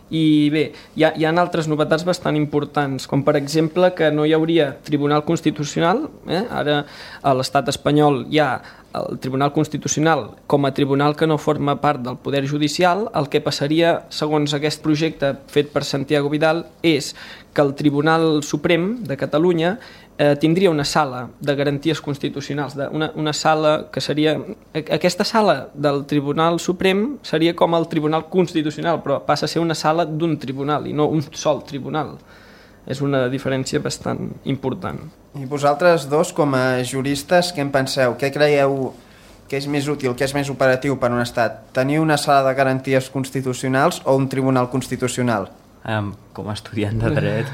I bé, hi ha altres novetats bastant importants, com per exemple que no hi hauria Tribunal Constitucional, ara a l'estat espanyol hi ha el Tribunal Constitucional com a tribunal que no forma part del Poder Judicial. El que passaria, segons aquest projecte fet per Santiago Vidal, és que el Tribunal Suprem de Catalunya tindria una sala de garanties constitucionals, una sala que seria... Aquesta sala del Tribunal Suprem seria com el Tribunal Constitucional, però passa a ser una sala d'un tribunal i no un sol tribunal. És una diferència bastant important. I vosaltres dos, com a juristes, què en penseu? Què creieu que és més útil, que és més operatiu per a un estat? Tenir una sala de garanties constitucionals o un tribunal constitucional? Com a estudiant de dret,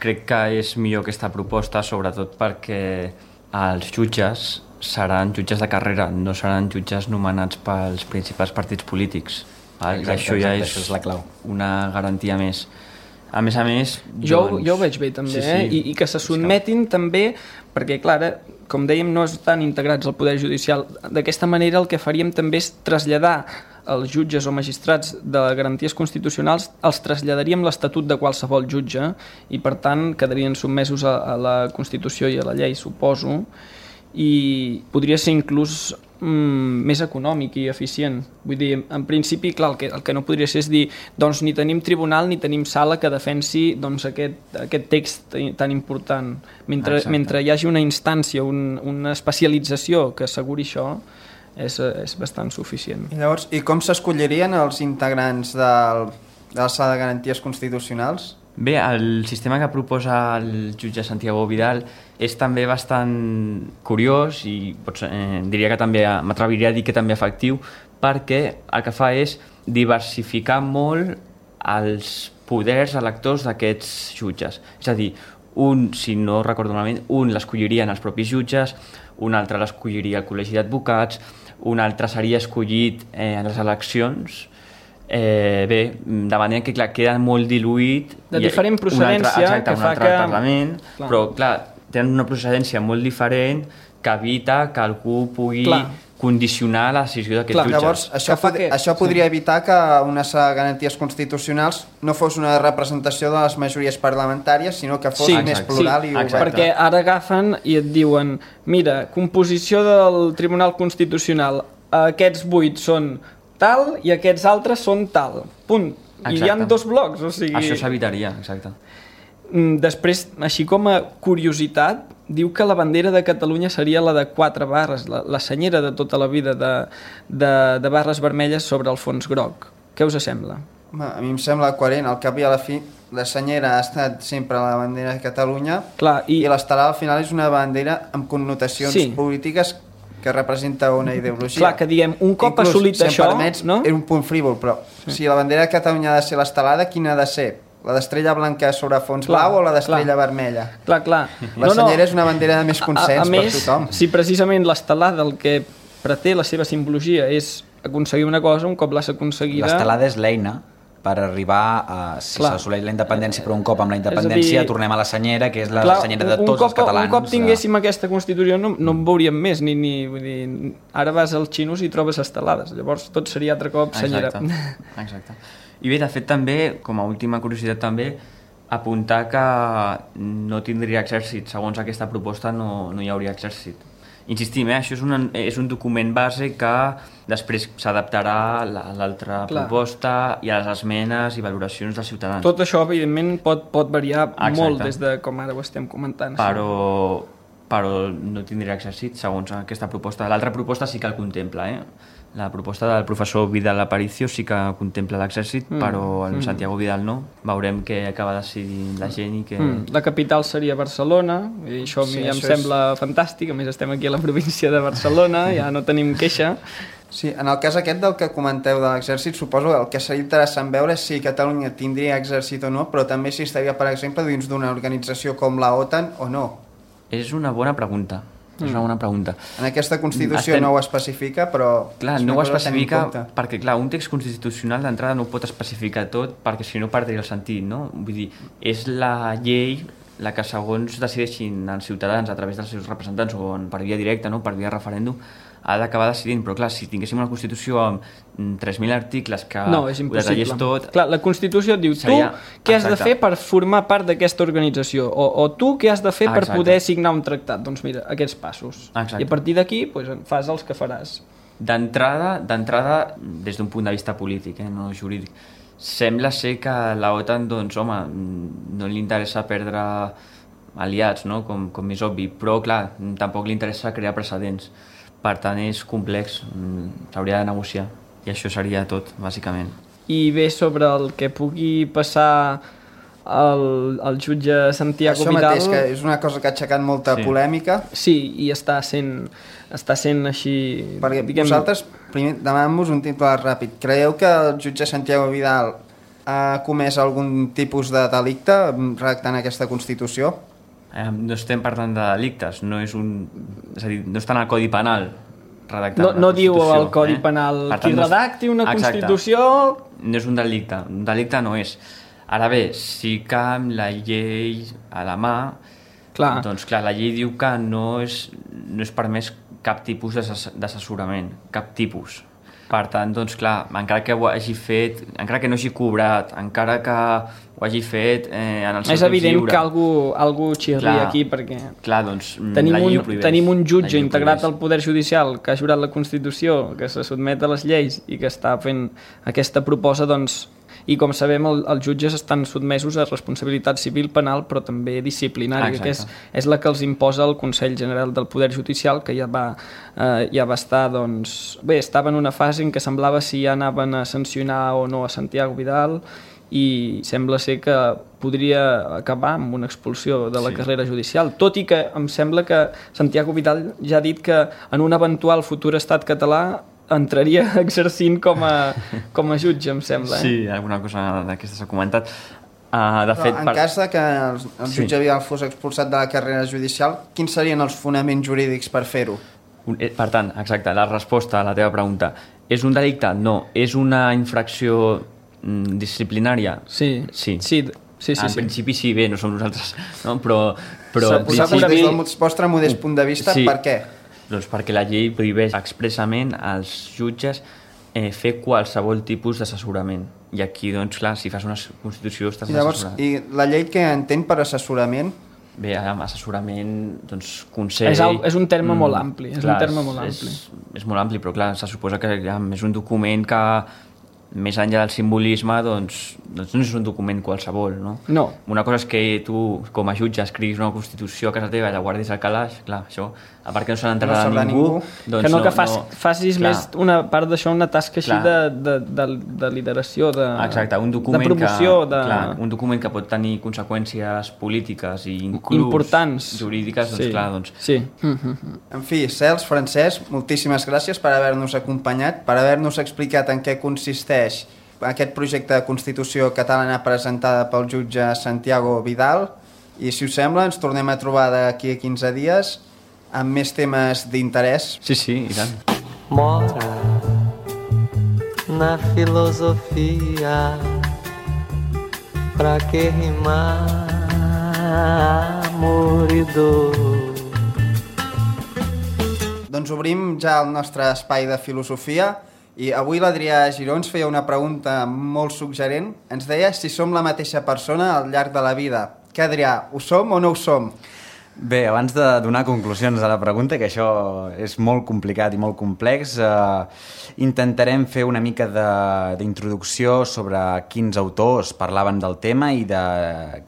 crec que és millor aquesta proposta, sobretot perquè els jutges seran jutges de carrera, no seran jutges nomenats pels principals partits polítics. Exacte, això ja això és la clau. una garantia més. A més, jo ho veig bé també, sí. I que se sotmetin també, perquè clar, com dèiem, no estan integrats al Poder Judicial. D'aquesta manera el que faríem també és traslladar els jutges o magistrats de garanties constitucionals, els traslladaríem l'estatut de qualsevol jutge i per tant quedarien sotmesos a la Constitució i a la llei, suposo, i podria ser inclús més econòmic i eficient. Vull dir, en principi, clar, el que no podria ser és dir, doncs ni tenim tribunal ni tenim sala que defensi doncs, aquest text tan important. Mentre hi hagi una instància, una especialització que asseguri això, és bastant suficient. I llavors, i com s'escollirien els integrants de la sala de garanties constitucionals? Bé, el sistema que proposa el jutge Santiago Vidal és també bastant curiós i diria que també, m'atreviria a dir que també efectiu, perquè el que fa és diversificar molt els poders electors d'aquests jutges. És a dir, si no recordo malament, un l'escollirien els propis jutges, un altre l'escolliria el col·legi d'advocats, un altre seria escollit en les eleccions. Bé, de manera que clar, queda molt diluït de diferent procedència un altre al Parlament, però clar, tenen una procedència molt diferent que evita que algú pugui condicionar la decisió d'aquests jutges. Llavors, això podria evitar que una sala de garanties constitucionals no fos una representació de les majories parlamentàries, sinó que fos més plural i oberta. Perquè ara agafen i et diuen, mira, composició del Tribunal Constitucional, aquests 8 són tal i aquests altres són tal. Punt. Exacte. I hi ha 2 blocs. O sigui... Això s'evitaria, exacte. Després, així com a curiositat, diu que la bandera de Catalunya seria la de 4 barres, la senyera de tota la vida de barres vermelles sobre el fons groc. Què us sembla? A mi em sembla coherent. Al cap i a la fi, la senyera ha estat sempre la bandera de Catalunya. Clar, i l'estelada al final és una bandera amb connotacions polítiques que representa una ideologia. Clar, que diguem, un cop assolit això... Si em permets, és un punt frívol, però si la bandera de Catalunya ha de ser l'estelada, quina ha de ser? La d'estrella blanca sobre fons blau o la d'estrella vermella? Clar. La senyera és una bandera de més consens per tothom. Si precisament l'estelada el que pretén la seva simbologia és aconseguir una cosa, un cop l'has aconseguida... L'estelada és l'eina per arribar a... Si s'assoleix la independència, però un cop amb la independència tornem a la senyera, que és la senyera de tots els catalans. Un cop tinguéssim aquesta Constitució no en veuríem més, vull dir, ara vas als xinos i trobes estelades, llavors tot seria altre cop senyera. Exacte. I bé, de fet també, com a última curiositat també, apuntar que no tindria exèrcit. Segons aquesta proposta no hi hauria exèrcit. Insistim, això és un document base que després s'adaptarà a l'altra proposta i a les esmenes i valoracions dels ciutadans. Tot això, evidentment, pot variar molt des de com ara ho estem comentant. Però no tindria exèrcit, segons aquesta proposta. L'altra proposta sí que el contempla, La proposta del professor Vidal Aparicio sí que contempla l'exèrcit, però el Santiago Vidal no. Veurem què acaba decidint la gent i que... La capital seria Barcelona, i això a mi ja em sembla fantàstic. A més, estem aquí a la província de Barcelona, ja no tenim queixa. Sí, en el cas aquest del que comenteu de l'exèrcit, suposo que el que seria interessant veure si Catalunya tindria exèrcit o no, però també si estaria, per exemple, dins d'una organització com la OTAN o no. És una bona pregunta. És una bona pregunta. En aquesta Constitució no ho especifica, però... Clar, no ho especifica perquè, clar, un text constitucional d'entrada no ho pot especificar tot perquè si no perdria el sentit, no? Vull dir, és la llei la que segons decideixin els ciutadans a través dels seus representants o per via directa, no? Per via referèndum, ha d'acabar decidint, però clar, si tinguéssim una Constitució amb 3.000 articles que ho detallés tot... Clar, la Constitució et diu tu què has de fer per formar part d'aquesta organització o tu què has de fer per poder signar un tractat. Doncs mira, aquests passos. I a partir d'aquí fas els que faràs. D'entrada, des d'un punt de vista polític, no jurídic, sembla ser que la OTAN, doncs, home, no li interessa perdre aliats, no? Com és obvi, però clar, tampoc li interessa crear precedents, per tant és complex, s'hauria de negociar i això seria tot, bàsicament. I bé, sobre el que pugui passar el jutge Santiago Vidal... Això mateix, que és una cosa que ha aixecat molta polèmica. Sí, i està sent així... Perquè vosaltres, primer, demanant-vos un titular ràpid. Creieu que el jutge Santiago Vidal ha comès algun tipus de delicte redactant aquesta Constitució? No estem parlant de delictes, és a dir, no està en el Codi Penal redactant no diu el Codi Penal qui redacti una Constitució... No és un delicte no és. Ara bé, sí que amb la llei a la mà, doncs clar, la llei diu que no és permès cap tipus d'assessorament, cap tipus. Per tant, doncs clar, encara que ho hagi fet, encara que no hagi cobrat, encara que ho hagi fet en el seu temps lliure... És evident que algú xirri aquí, perquè doncs, la llei ho prohibeix. Tenim un jutge integrat al Poder Judicial que ha jurat la Constitució, que se sotmet a les lleis i que està fent aquesta proposta, doncs... I com sabem, els jutges estan sotmesos a responsabilitat civil, penal, però també disciplinària, que és la que els imposa el Consell General del Poder Judicial, que ja va estar, doncs... Bé, estava en una fase en què semblava si ja anaven a sancionar o no a Santiago Vidal, i sembla ser que podria acabar amb una expulsió de la carrera judicial, tot i que em sembla que Santiago Vidal ja ha dit que en un eventual futur estat català entraria exercint com a jutge, em sembla. Sí, alguna cosa d'aquesta s'ha comentat. En cas que el jutge Vidal fos expulsat de la carrera judicial, quins serien els fonaments jurídics per fer-ho? Per tant, exacte, la resposta a la teva pregunta. És un delicte? No. És una infracció disciplinària? Sí. En principi sí, bé, no som nosaltres, no? Però vosaltres, des del vostre modest punt de vista, per què? Doncs perquè la llei prohibeix expressament als jutges fer qualsevol tipus d'assessorament. I aquí, doncs, clar, si fas una Constitució estàs assessorant. I la llei que entén per assessorament? Bé, assessorament, doncs, consell... És un terme molt ampli. És molt ampli, però clar, se suposa que és un document que, més enllà del simbolisme, doncs no és un document qualsevol, no? No. Una cosa és que tu, com a jutge, escriguis una Constitució a casa teva i la guardis al calaix, clar, això, a part que no se n'entrarà ningú... Doncs que facis més una part d'això, una tasca així de lideració, de promoció... Un document que pot tenir conseqüències polítiques i inclús importants, jurídiques, doncs clar, doncs... Sí. En fi, Cels, Francesc, moltíssimes gràcies per haver-nos acompanyat, per haver-nos explicat en què consisteix aquest projecte de Constitució catalana presentada pel jutge Santiago Vidal, i si us sembla ens tornem a trobar d'aquí a 15 dies amb més temes d'interès. Sí, i tant. Mora na filosofia, pra que rimar amor i dor. Doncs obrim ja el nostre espai de filosofia. I avui l'Adrià Giró ens feia una pregunta molt suggerent. Ens deia si som la mateixa persona al llarg de la vida. Què, Adrià, ho som o no ho som? Bé, abans de donar conclusions a la pregunta, que això és molt complicat i molt complex, intentarem fer una mica d'introducció sobre quins autors parlaven del tema i de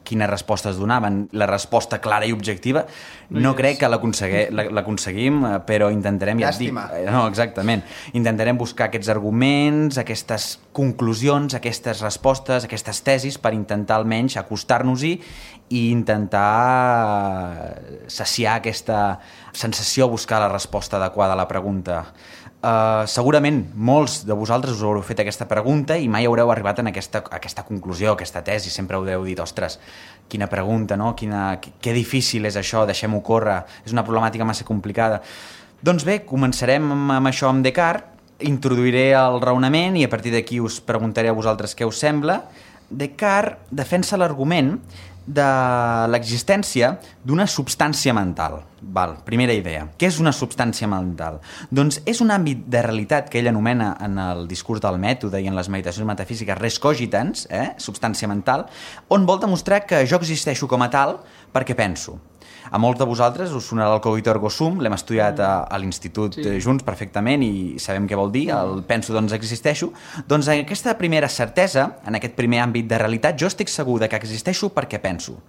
quines respostes donaven. La resposta clara i objectiva no crec que l'aconseguim, però intentarem... Llàstima. No, exactament. Intentarem buscar aquests arguments, aquestes conclusions, aquestes respostes, aquestes tesis per intentar almenys acostar-nos-hi i intentar saciar aquesta sensació, buscar la resposta adequada a la pregunta. Segurament molts de vosaltres us haureu fet aquesta pregunta i mai haureu arribat a aquesta conclusió, a aquesta tesi. Sempre haureu dit, ostres, quina pregunta, no? Que difícil és això, deixem-ho córrer, és una problemàtica massa complicada. Doncs bé, començarem amb això amb Descartes, introduiré el raonament i a partir d'aquí us preguntaré a vosaltres què us sembla. Descartes defensa l'argument de l'existència d'una substància mental. Primera idea. Què és una substància mental? Doncs és un àmbit de realitat que ell anomena en el discurs del mètode i en les meditacions metafísiques res cogitans, substància mental, on vol demostrar que jo existeixo com a tal perquè penso. A molts de vosaltres us sonarà el cogito ergo sum, l'hem estudiat a l'institut junts perfectament i sabem què vol dir, el penso doncs existeixo. Doncs en aquesta primera certesa, en aquest primer àmbit de realitat, jo estic segur de que existeixo perquè penso.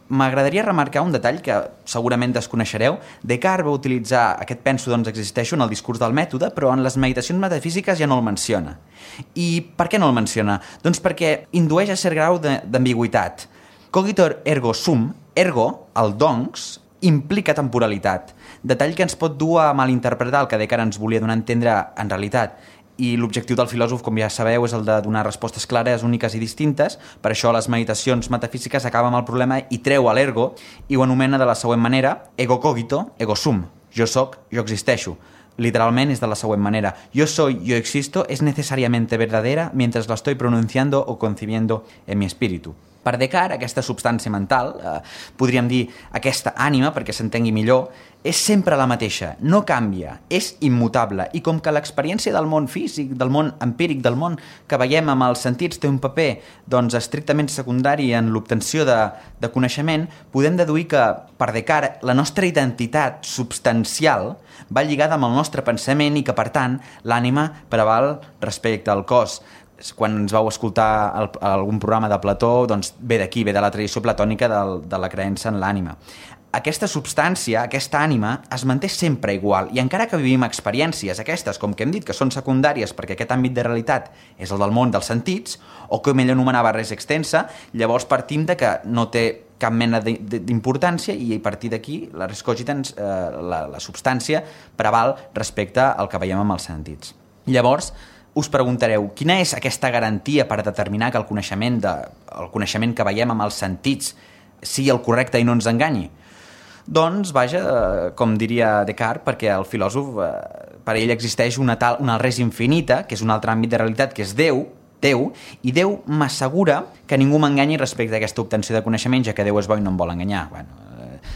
m'agradaria remarcar un detall que segurament desconeixereu. Descartes va utilitzar aquest penso doncs existeixo en el discurs del mètode, però en les meditacions metafísiques ja no el menciona. I per què no el menciona? Doncs perquè indueix a cert grau d'ambigüitat. Cogitor ergo sum, ergo, el doncs, implica temporalitat, detall que ens pot dur a malinterpretar el que Descartes ens volia donar a entendre en realitat. I l'objectiu del filòsof, com ja sabeu, és el de donar respostes clares, úniques i distintes. Per això les meditacions metafísiques acaben amb el problema i treu a l'ergo i ho anomena de la següent manera: ego cogito, ego sum. Jo soc, jo existeixo. Literalment és de la següent manera: yo soy, yo existo es necesariamente verdadera mientras la estoy pronunciando o concibiendo en mi espíritu. Per Descartes, aquesta substància mental, podríem dir aquesta ànima, perquè s'entengui millor, és sempre la mateixa, no canvia, és immutable, i com que l'experiència del món físic, del món empíric, del món que veiem amb els sentits té un paper doncs, estrictament secundari en l'obtenció de coneixement, podem deduir que, per Descartes, la nostra identitat substancial va lligada amb el nostre pensament i que, per tant, l'ànima preval respecte al cos. Quan ens vau escoltar algun programa de Plató, doncs ve d'aquí, ve de la tradició platònica de la creença en l'ànima. Aquesta substància, aquesta ànima, es manté sempre igual, i encara que vivim experiències aquestes, com que hem dit que són secundàries perquè aquest àmbit de realitat és el del món dels sentits, o com ell anomenava res extensa, llavors partim de que no té cap mena d'importància i a partir d'aquí la res cogitans, la substància, preval respecte al que veiem amb els sentits. Llavors, us preguntareu, quina és aquesta garantia per determinar que el coneixement que veiem amb els sentits sigui el correcte i no ens enganyi? Doncs, vaja, com diria Descartes, perquè el filòsof, per ell existeix una res infinita, que és un altre àmbit de realitat, que és Déu, i Déu m'assegura que ningú m'enganyi respecte a aquesta obtenció de coneixement, ja que Déu és bo i no em vol enganyar. Bueno,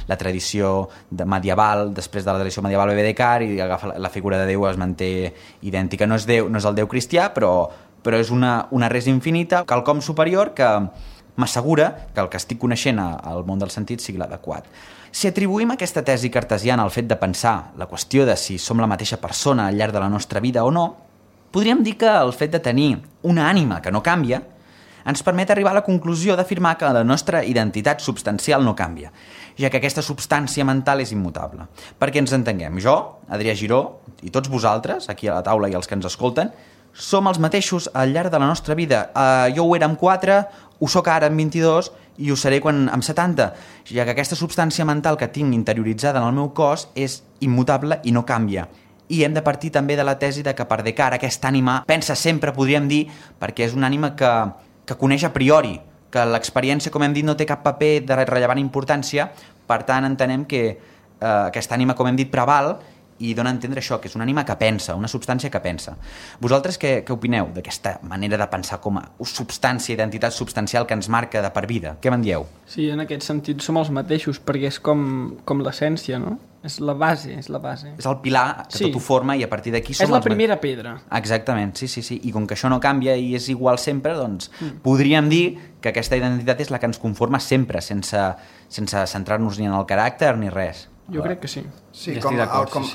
la tradició medieval, després de la tradició medieval ve Descartes i agafa la figura de Déu es manté idèntica. No és el Déu cristià, però és una res infinita, quelcom superior que m'assegura que el que estic coneixent al món dels sentits sigui l'adequat. Si atribuïm aquesta tesi cartesiana al fet de pensar la qüestió de si som la mateixa persona al llarg de la nostra vida o no, podríem dir que el fet de tenir una ànima que no canvia ens permet arribar a la conclusió d'afirmar que la nostra identitat substancial no canvia, ja que aquesta substància mental és immutable. Perquè ens entenguem, jo, Adrià Giró, i tots vosaltres, aquí a la taula i els que ens escolten, som els mateixos al llarg de la nostra vida. Jo ho era amb 4, ho soc ara amb 22 i ho seré amb 70, ja que aquesta substància mental que tinc interioritzada en el meu cos és immutable i no canvia. I hem de partir també de la tesi de que per Descartes aquesta ànima pensa sempre, podríem dir, perquè és una ànima que coneix a priori, que l'experiència, com hem dit, no té cap paper de rellevant importància, per tant entenem que aquesta ànima, com hem dit, preval i dona a entendre això, que és una ànima que pensa, una substància que pensa. Vosaltres què opineu d'aquesta manera de pensar com a substància, identitat substancial que ens marca de per vida? Què me'n dieu? Sí, en aquest sentit som els mateixos, perquè és com l'essència, no? És la base, és la base. És el pilar que tot ho forma i a partir d'aquí som... És la primera pedra. Exactament, sí. I com que això no canvia i és igual sempre, doncs podríem dir que aquesta identitat és la que ens conforma sempre, sense centrar-nos ni en el caràcter ni res. Jo crec que sí. Sí, com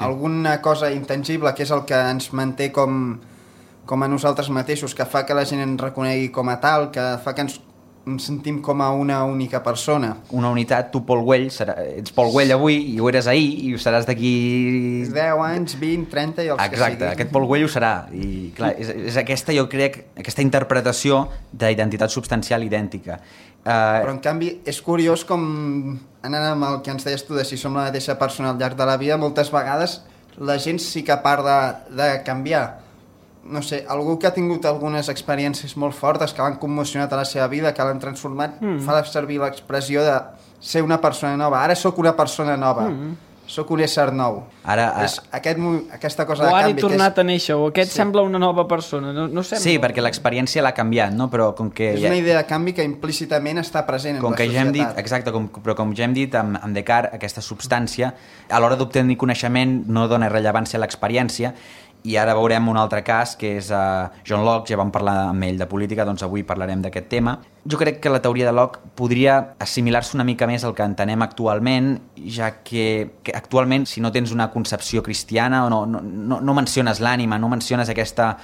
alguna cosa intangible que és el que ens manté com a nosaltres mateixos, que fa que la gent ens reconegui com a tal, que fa que ens sentim com a una única persona. Una unitat, tu Pol Güell, ets Pol Güell avui i ho eres ahir i ho seràs d'aquí... 10 anys, 20, 30 i els que sigui. Exacte, aquest Pol Güell ho serà. I clar, és aquesta, jo crec, aquesta interpretació d'identitat substancial idèntica. Però en canvi és curiós com, anant amb el que ens deies tu de si som la mateixa persona al llarg de la vida, moltes vegades la gent sí que parla de canviar. No sé, algú que ha tingut algunes experiències molt fortes que l'han commocionat a la seva vida, que l'han transformat, fa servir l'expressió de ser una persona nova. Ara sóc una persona nova. Sóc un ésser nou. És aquesta cosa de canvi. O ara he tornat a néixer, o aquest sembla una nova persona. No sembla... Sí, perquè l'experiència l'ha canviat, no? Però com que... És una idea de canvi que implícitament està present en la societat. Ja hem dit, exacte, però com ja hem dit amb Descartes, aquesta substància, a l'hora d'obtenir coneixement no dona rellevància a l'experiència, i ara veurem un altre cas, que és John Locke, ja vam parlar amb ell de política, doncs avui parlarem d'aquest tema. Jo crec que la teoria de Locke podria assimilar-se una mica més al que entenem actualment, ja que actualment, si no tens una concepció cristiana o no menciones l'ànima, no menciones aquesta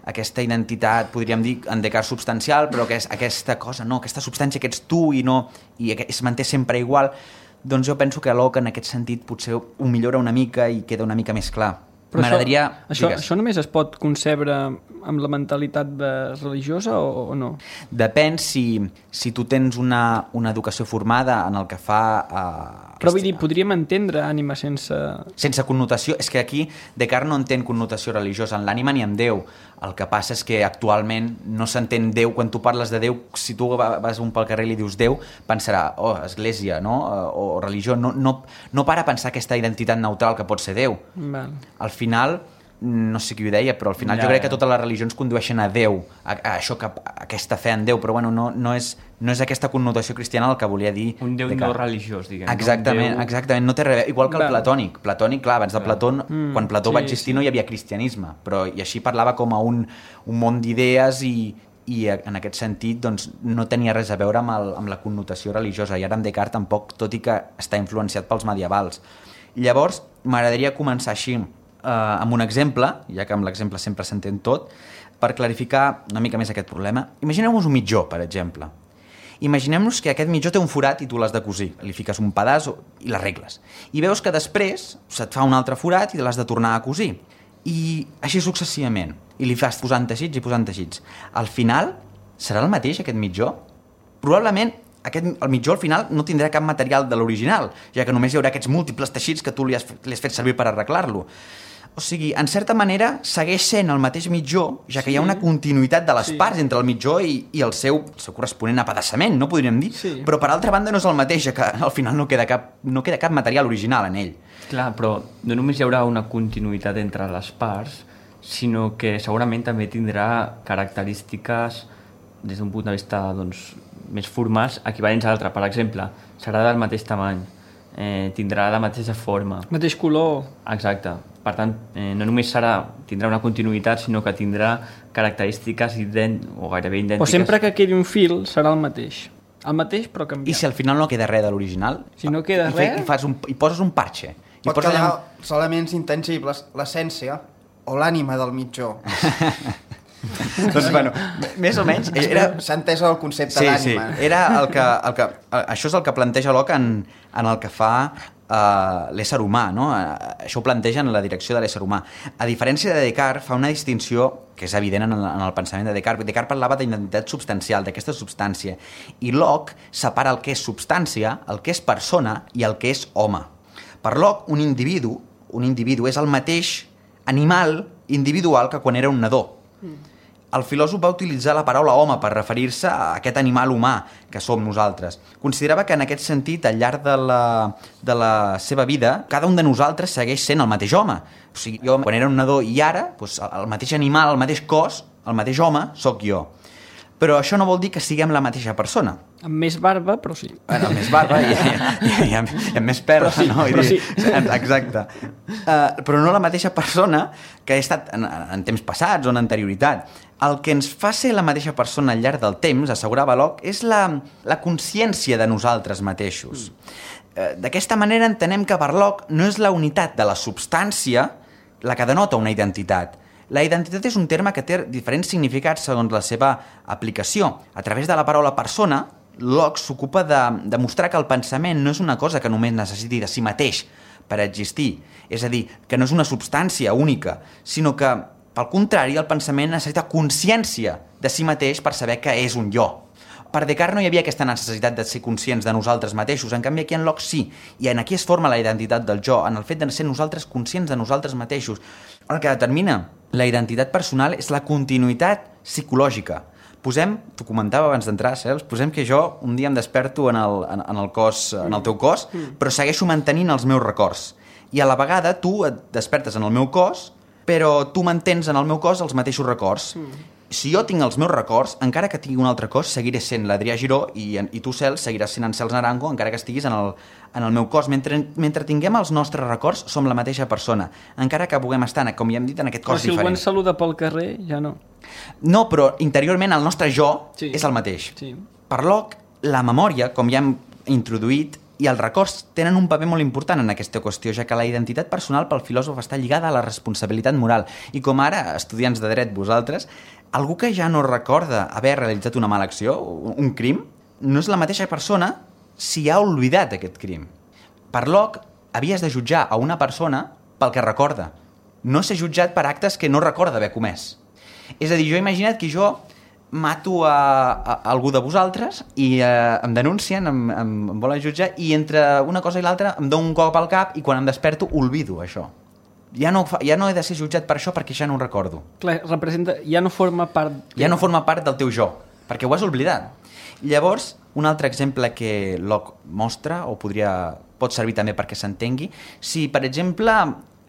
aquesta identitat, podríem dir, en Descartes substancial, però que és aquesta cosa, no, aquesta substància que ets tu i es manté sempre igual, doncs jo penso que Locke en aquest sentit potser ho millora una mica i queda una mica més clar. Però M'agradaria... això només es pot concebre amb la mentalitat religiosa o no? Depèn si tu tens una educació formada en el que fa... Però vull dir, podríem entendre ànima sense... Sense connotació. És que aquí Descartes no entén connotació religiosa en l'ànima ni en Déu. El que passa és que actualment no s'entén Déu. Quan tu parles de Déu, si tu vas pel carrer i li dius Déu, pensarà, església, no? O religió. No para a pensar aquesta identitat neutral que pot ser Déu. Val. Al final, no sé qui ho deia, però al final jo crec que totes les religions condueixen a Déu, a aquesta fe en Déu, però bueno, no és aquesta connotació cristiana el que volia dir. Un Déu no religiós, diguem. Exactament, no té res. Igual que el platònic. Platònic, clar, abans de Plató, quan Plató va existir no hi havia cristianisme, però i així parlava com a un món d'idees i en aquest sentit doncs, no tenia res a veure amb la connotació religiosa, i ara en Descartes tampoc, tot i que està influenciat pels medievals. Llavors, m'agradaria començar així, amb un exemple, ja que amb l'exemple sempre s'entén tot, per clarificar una mica més aquest problema. Imagineu-vos un mitjó, per exemple. Imaginem-nos que aquest mitjó té un forat i tu l'has de cosir. Li fiques un pedaç i l'arregles. I veus que després se't fa un altre forat i l'has de tornar a cosir. I així successivament. I li fas posant teixits i posant teixits. Al final, serà el mateix aquest mitjó? Probablement el mitjó al final no tindrà cap material de l'original, ja que només hi haurà aquests múltiples teixits que tu li has fet servir per arreglar-lo. O sigui, en certa manera, segueix sent el mateix mitjó, ja que hi ha una continuïtat de les parts entre el mitjó i el seu corresponent apedaçament, no podríem dir? Sí. Però per altra banda no és el mateix, ja que al final no queda cap material original en ell. Clar, però no només hi haurà una continuïtat entre les parts, sinó que segurament també tindrà característiques des d'un punt de vista doncs, més formals equivalents a l'altre. Per exemple, serà del mateix tamany, tindrà la mateixa forma. Mateix color. Exacte. Per tant, no només tindrà una continuïtat, sinó que tindrà característiques o gairebé idèntiques. O sempre que quedi un fil serà el mateix. El mateix, però canviat. I si al final no queda res de l'original? Si no queda res... I poses un parche. Pot quedar els elements intangibles, l'essència o l'ànima del mitjó. Doncs, bueno, més o menys... S'ha entès el concepte d'ànima. Sí, era això és el que planteja Locke en el que fa l'ésser humà, no? Això ho planteja en la direcció de l'ésser humà. A diferència de Descartes, fa una distinció que és evident en el pensament de Descartes. Descartes parlava d'identitat substancial, d'aquesta substància, i Locke separa el que és substància, el que és persona i el que és home. Per Locke, un individu és el mateix animal individual que quan era un nadó. El filòsof va utilitzar la paraula home per referir-se a aquest animal humà que som nosaltres. Considerava que en aquest sentit, al llarg de la seva vida, cada un de nosaltres segueix sent el mateix home. O sigui, jo quan era un nadó i ara, doncs, el mateix animal, el mateix cos, el mateix home, sóc jo. Però això no vol dir que siguem la mateixa persona. Amb més barba, però sí. Bueno, amb més barba i amb més pèl, no? Però sí. Exacte. Però no la mateixa persona que he estat en temps passats o en anterioritat. El que ens fa ser la mateixa persona al llarg del temps, assegurava Locke, és la consciència de nosaltres mateixos. D'aquesta manera entenem que per Locke no és la unitat de la substància la que denota una identitat. La identitat és un terme que té diferents significats segons la seva aplicació. A través de la paraula persona, Locke s'ocupa de mostrar que el pensament no és una cosa que només necessiti de si mateix per existir. És a dir, que no és una substància única, sinó que, pel contrari, el pensament necessita consciència de si mateix per saber que és un jo. Per Descartes no hi havia aquesta necessitat de ser conscients de nosaltres mateixos, en canvi aquí en Locke sí, i en aquí es forma la identitat del jo, en el fet de ser nosaltres conscients de nosaltres mateixos. El que determina la identitat personal és la continuïtat psicològica. T'ho comentava abans d'entrar, Cels, posem que jo un dia em desperto en el teu cos, però segueixo mantenint els meus records. I a la vegada tu et despertes en el meu cos, però tu mantens en el meu cos els mateixos records. Si jo tinc els meus records, encara que tingui un altre cos, seguiré sent l'Adrià Giró i tu, Cels, seguiràs sent en Cels Naranjo, encara que estiguis en el meu cos. Mentre tinguem els nostres records, som la mateixa persona, encara que puguem estar, com ja hem dit, en aquest cos diferent. Però si algú ens saluda pel carrer, ja no. No, però interiorment el nostre jo és el mateix. Sí. Per Locke, la memòria, com ja hem introduït, I els records tenen un paper molt important en aquesta qüestió, ja que la identitat personal pel filòsof està lligada a la responsabilitat moral. I com ara, estudiants de dret vosaltres, algú que ja no recorda haver realitzat una mala acció, un crim, no és la mateixa persona si ha oblidat aquest crim. Per Locke, havies de jutjar a una persona pel que recorda, no ser jutjat per actes que no recorda haver comès. És a dir, jo he imaginat que jo mato a algú de vosaltres i em denuncien, em volen jutjar, i entre una cosa i l'altra em dono un cop al cap i quan em desperto olvido això. Ja no he de ser jutjat per això perquè ja no ho recordo. Clar, representa, ja no forma part... Ja no forma part del teu jo, perquè ho has oblidat. Llavors, un altre exemple que Locke mostra, o pot servir també perquè s'entengui, si, per exemple,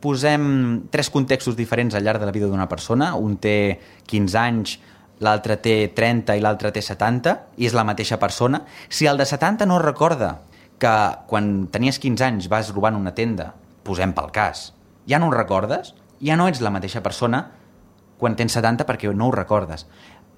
posem 3 contextos diferents al llarg de la vida d'una persona, un té 15 anys, l'altre té 30 i l'altre té 70, i és la mateixa persona, si el de 70 no recorda que quan tenies 15 anys vas robant una tenda, posem pel cas, ja no ho recordes, ja no ets la mateixa persona quan tens 70 perquè no ho recordes.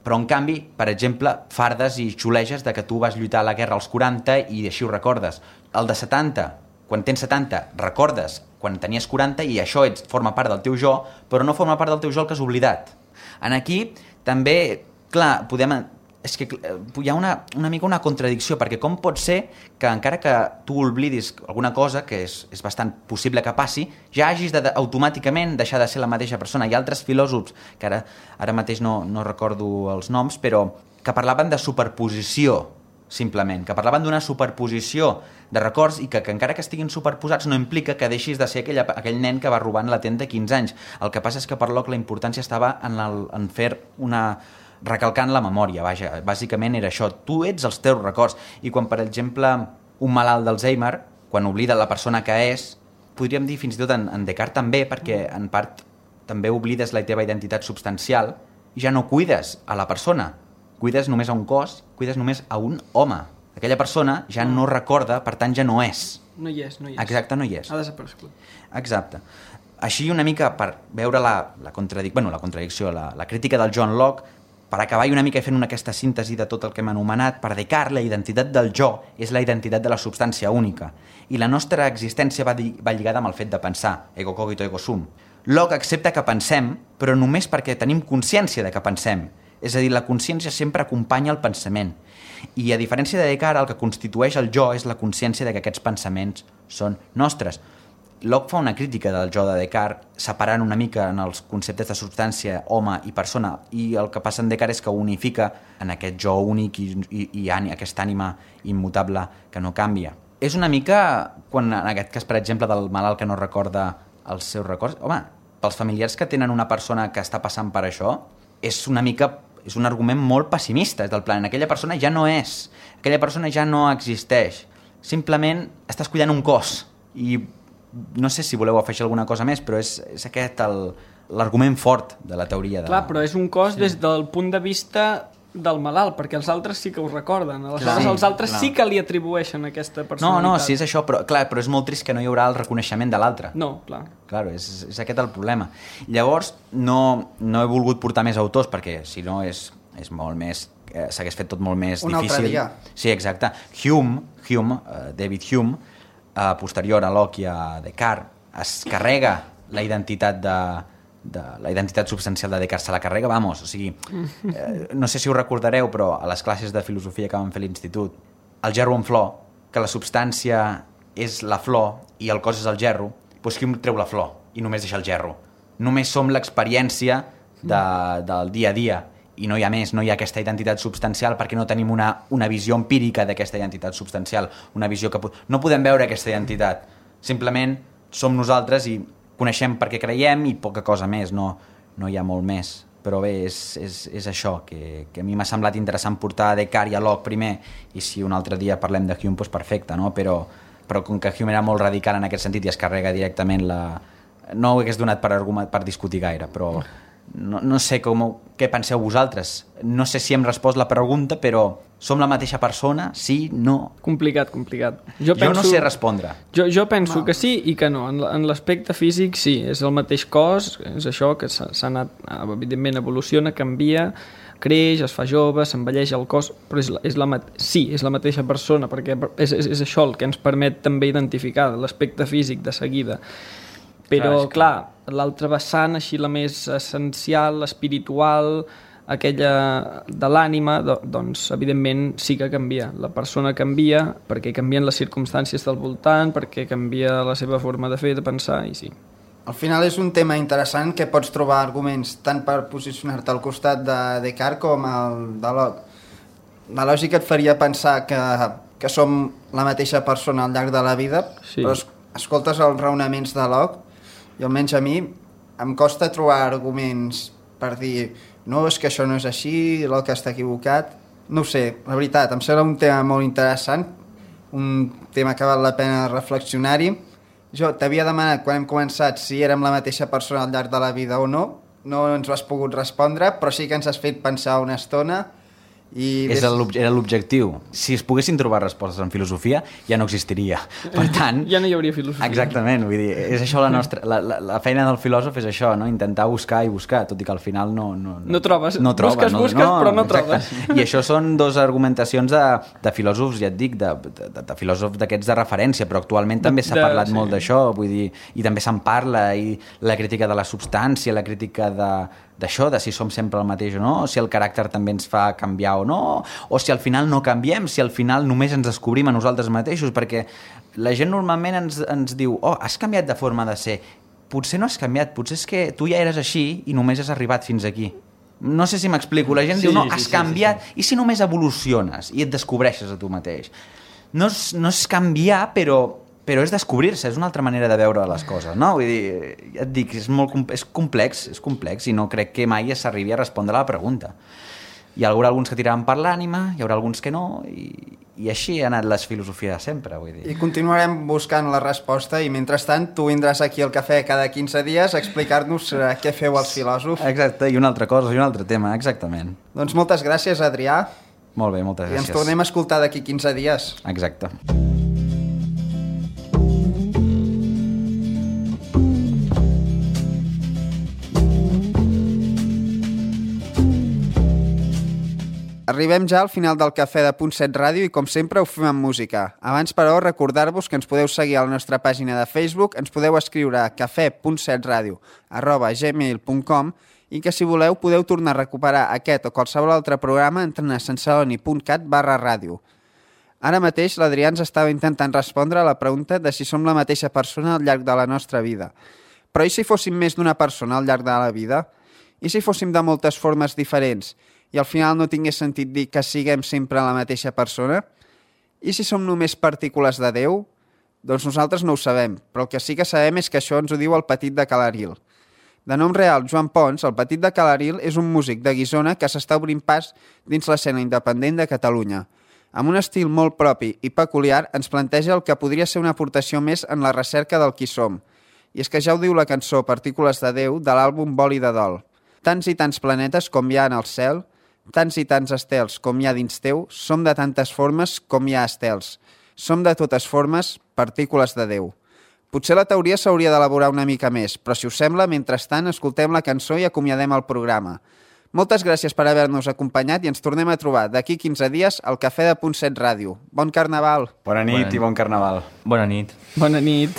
Però, en canvi, per exemple, fardes i xuleges de que tu vas lluitar a la guerra als 40 i així ho recordes. El de 70, quan tens 70, recordes quan tenies 40 i això forma part del teu jo, però no forma part del teu jo el que has oblidat. En aquí, també, clar, és que hi ha una mica una contradicció, perquè com pot ser que encara que tu oblidis alguna cosa, que és bastant possible que passi, ja hagis automàticament deixar de ser la mateixa persona. Hi ha altres filòsofs, que ara mateix no recordo els noms, però que parlaven de superposició, simplement, que parlaven d'una superposició de records i que encara que estiguin superposats no implica que deixis de ser aquell nen que va robant la tenda 15 anys. El que passa és que per Locke la importància estava en fer recalcant la memòria, vaja, bàsicament era això, tu ets els teus records, i quan, per exemple, un malalt d'Alzheimer, quan oblida la persona que és, podríem dir fins i tot en Descartes també, perquè en part també oblides la teva identitat substancial i ja no cuides a la persona, cuides només a un cos, cuides només a un home. Aquella persona ja no recorda, per tant ja no és. No hi és. Exacte, no hi és. Ha desaparegut. Exacte. Així una mica per veure la contradicció, la crítica del John Locke, per acabar i una mica fent aquesta síntesi de tot el que hem anomenat, per Descartes la identitat del jo és la identitat de la substància única i la nostra existència va lligada amb el fet de pensar, ego cogito ego sum. Locke accepta que pensem, però només perquè tenim consciència de que pensem. És a dir, la consciència sempre acompanya el pensament. I a diferència de Descartes, el que constitueix el jo és la consciència de que aquests pensaments són nostres. Locke fa una crítica del jo de Descartes, separant una mica en els conceptes de substància, home i persona, i el que passa en Descartes és que unifica en aquest jo únic i aquesta ànima immutable que no canvia. És una mica, quan en aquest cas, per exemple, del malalt que no recorda els seus records, home, pels familiars que tenen una persona que està passant per això, és un argument molt pessimista, és del plan, aquella persona ja no és, aquella persona ja no existeix, simplement estàs cuidant un cos, i no sé si voleu afegir alguna cosa més, però és aquest l'argument fort de la teoria. Clar, però és un cos des del punt de vista del malalt, perquè els altres sí que ho recorden, aleshores els altres sí que li atribueixen aquesta personalitat. No, sí és això, però és molt trist que no hi haurà el reconeixement de l'altre. No, clar. Claro, és aquest el problema. Llavors, no he volgut portar més autors, perquè si no és molt més... s'hagués fet tot molt més difícil. Un altre dia. Sí, exacte. David Hume, posterior a Locke i a Descartes, es carrega la identitat la identitat substancial de Descartes, se la carrega, o sigui, no sé si ho recordareu, però a les classes de filosofia que vam fer a l'institut, el gerro en flor, que la substància és la flor i el cos és el gerro, doncs qui treu la flor i només deixa el gerro? Només som l'experiència del dia a dia i no hi ha més, no hi ha aquesta identitat substancial perquè no tenim una visió empírica d'aquesta identitat substancial, una visió que no podem veure aquesta identitat, simplement som nosaltres i coneixem perquè creiem i poca cosa més, no hi ha molt més. Però bé, és això, que a mi m'ha semblat interessant portar Descartes i a Locke primer, i si un altre dia parlem de Hume, doncs perfecte, no? Però com que Hume era molt radical en aquest sentit i es carrega directament no ho hagués donat per discutir gaire, però no sé què penseu vosaltres. No sé si hem respost la pregunta, però som la mateixa persona? Sí? No? Complicat. Jo no sé respondre. Jo penso que sí i que no. En l'aspecte físic sí, és el mateix cos, és això que s'ha anat, evidentment evoluciona, canvia, creix, es fa jove, s'envelleix el cos, però és la mateixa persona, perquè és això el que ens permet també identificar l'aspecte físic de seguida. Però, clar, l'altra vessant, així la més essencial, l'espiritual, aquella de l'ànima, doncs, evidentment, sí que canvia. La persona canvia perquè canvien les circumstàncies del voltant, perquè canvia la seva forma de fer, de pensar, i sí. Al final és un tema interessant que pots trobar arguments tant per posicionar-te al costat de Descartes com el de Locke. La lògica et faria pensar que som la mateixa persona al llarg de la vida, sí. Però escoltes els raonaments de Locke i almenys a mi em costa trobar arguments per dir no, és que això no és així, Locke està equivocat. No ho sé, la veritat, em sembla un tema molt interessant, un tema que val la pena reflexionar-hi. Jo t'havia demanat quan hem començat si érem la mateixa persona al llarg de la vida o no. No ens ho has pogut respondre, però sí que ens has fet pensar una estona. Era l'objectiu. Si es poguessin trobar respostes en filosofia, ja no existiria. Per tant... ja no hi hauria filosofia. Exactament, vull dir, és això la feina del filòsof és això, no? Intentar buscar i buscar, tot i que al final no trobes. Busques, però no trobes. I això són dues argumentacions de filòsofs, ja et dic, de filòsofs d'aquests de referència, però actualment també s'ha parlat molt d'això, vull dir, i també se'n parla, i la crítica de la substància, la crítica d'això, de si som sempre el mateix o no, si el caràcter també ens fa canviar o no, o si al final no canviem, si al final només ens descobrim a nosaltres mateixos, perquè la gent normalment ens diu has canviat de forma de ser. Potser no has canviat, potser és que tu ja eres així i només has arribat fins aquí. No sé si m'explico, la gent diu has canviat, i si només evoluciones i et descobreixes a tu mateix? No és canviar, però és descobrir-se, és una altra manera de veure les coses, no? Vull dir, ja et dic, és complex i no crec que mai s'arribi a respondre a la pregunta. Hi haurà alguns que tiraran per l'ànima, hi haurà alguns que no, i així ha anat la filosofia de sempre, vull dir. I continuarem buscant la resposta, i mentrestant tu vindràs aquí al cafè cada 15 dies a explicar-nos què feu els filòsofs. Exacte, i una altra cosa, i un altre tema, exactament. Doncs moltes gràcies, Adrià. Molt bé, moltes gràcies. I ens tornem a escoltar d'aquí 15 dies. Exacte. Arribem ja al final del Cafè de Punt 7 Ràdio i com sempre ho fem amb música. Abans, però, recordar-vos que ens podeu seguir a la nostra pàgina de Facebook, ens podeu escriure a cafè.setradio@gmail.com i que si voleu podeu tornar a recuperar aquest o qualsevol altre programa entrant a sensaloni.cat/ràdio. Ara mateix l'Adrià ens estava intentant respondre a la pregunta de si som la mateixa persona al llarg de la nostra vida. Però i si fóssim més d'una persona al llarg de la vida? I si fóssim de moltes formes diferents? I al final no tingués sentit dir que siguem sempre la mateixa persona? I si som només partícules de Déu? Doncs nosaltres no ho sabem, però el que sí que sabem és que això ens ho diu el Petit de Calaril. De nom real, Joan Pons, el Petit de Calaril és un músic de Guissona que s'està obrint pas dins l'escena independent de Catalunya. Amb un estil molt propi i peculiar ens planteja el que podria ser una aportació més en la recerca del qui som. I és que ja ho diu la cançó Partícules de Déu de l'àlbum Vol i de Dol. Tants i tants planetes com hi ha en el cel, tants i tants estels com hi ha dins teu, som de tantes formes com hi ha estels. Som de totes formes partícules de Déu. Potser la teoria s'hauria d'elaborar una mica més, però si us sembla, mentrestant, escoltem la cançó i acomiadem el programa. Moltes gràcies per haver-nos acompanyat i ens tornem a trobar d'aquí 15 dies al Cafè de Punt 7 Ràdio. Bon Carnaval! Bona nit i bon Carnaval. Bona nit. Bona nit.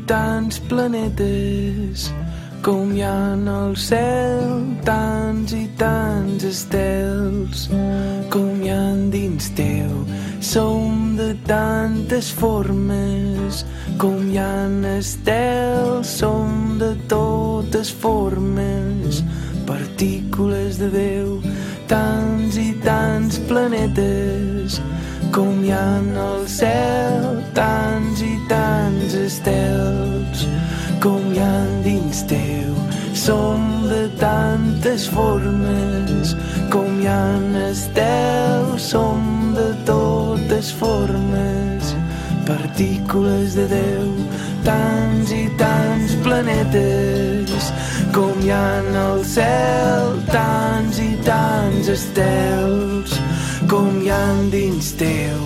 tants planetes, com hi ha en el cel, tants i tants estels, com hi ha dins teu. Som de tantes formes, com hi ha estels, som de totes formes, partícules de Déu, tants i tants planetes, com hi ha en el cel, tants i tants estels, com hi ha dins teu. Som de tantes formes, com hi ha estels, som de totes formes, partícules de Déu, tants i tants planetes, com hi ha en el cel, tants i tants estels, com hi ha dins teu.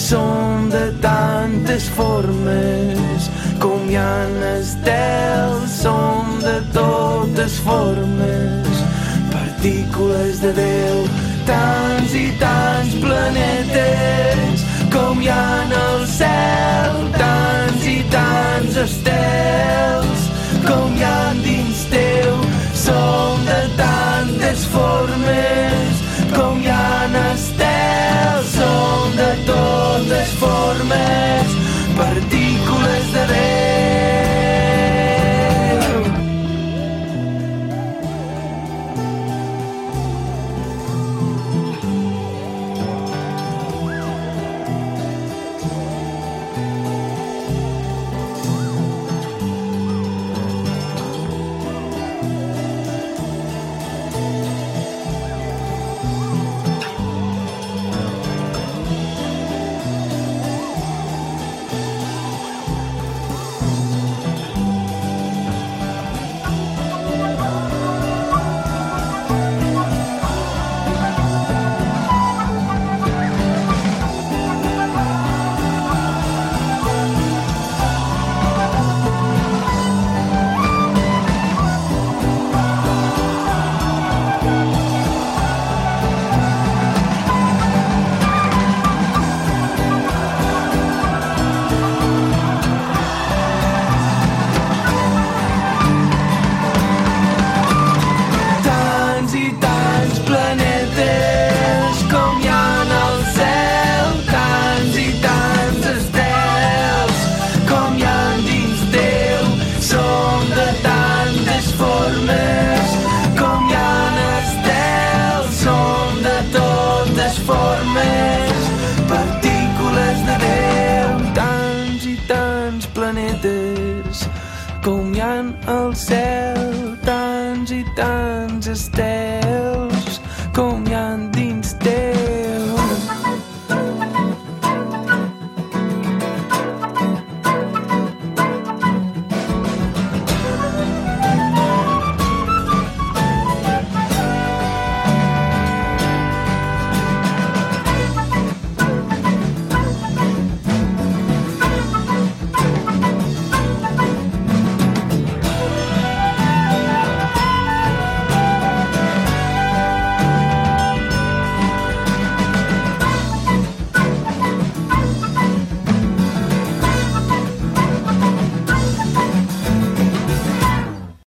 Som de tantes formes, com hi ha estels, som de totes formes, partícules de Déu, tants i tants planetes, com hi ha en el cel, tants i tants estels, com hi ha dins teu. Som de tantes formes, com hi ha estels, som de totes formes, partícules de Déu. Com hi ha al cel, tants i tants estels, com hi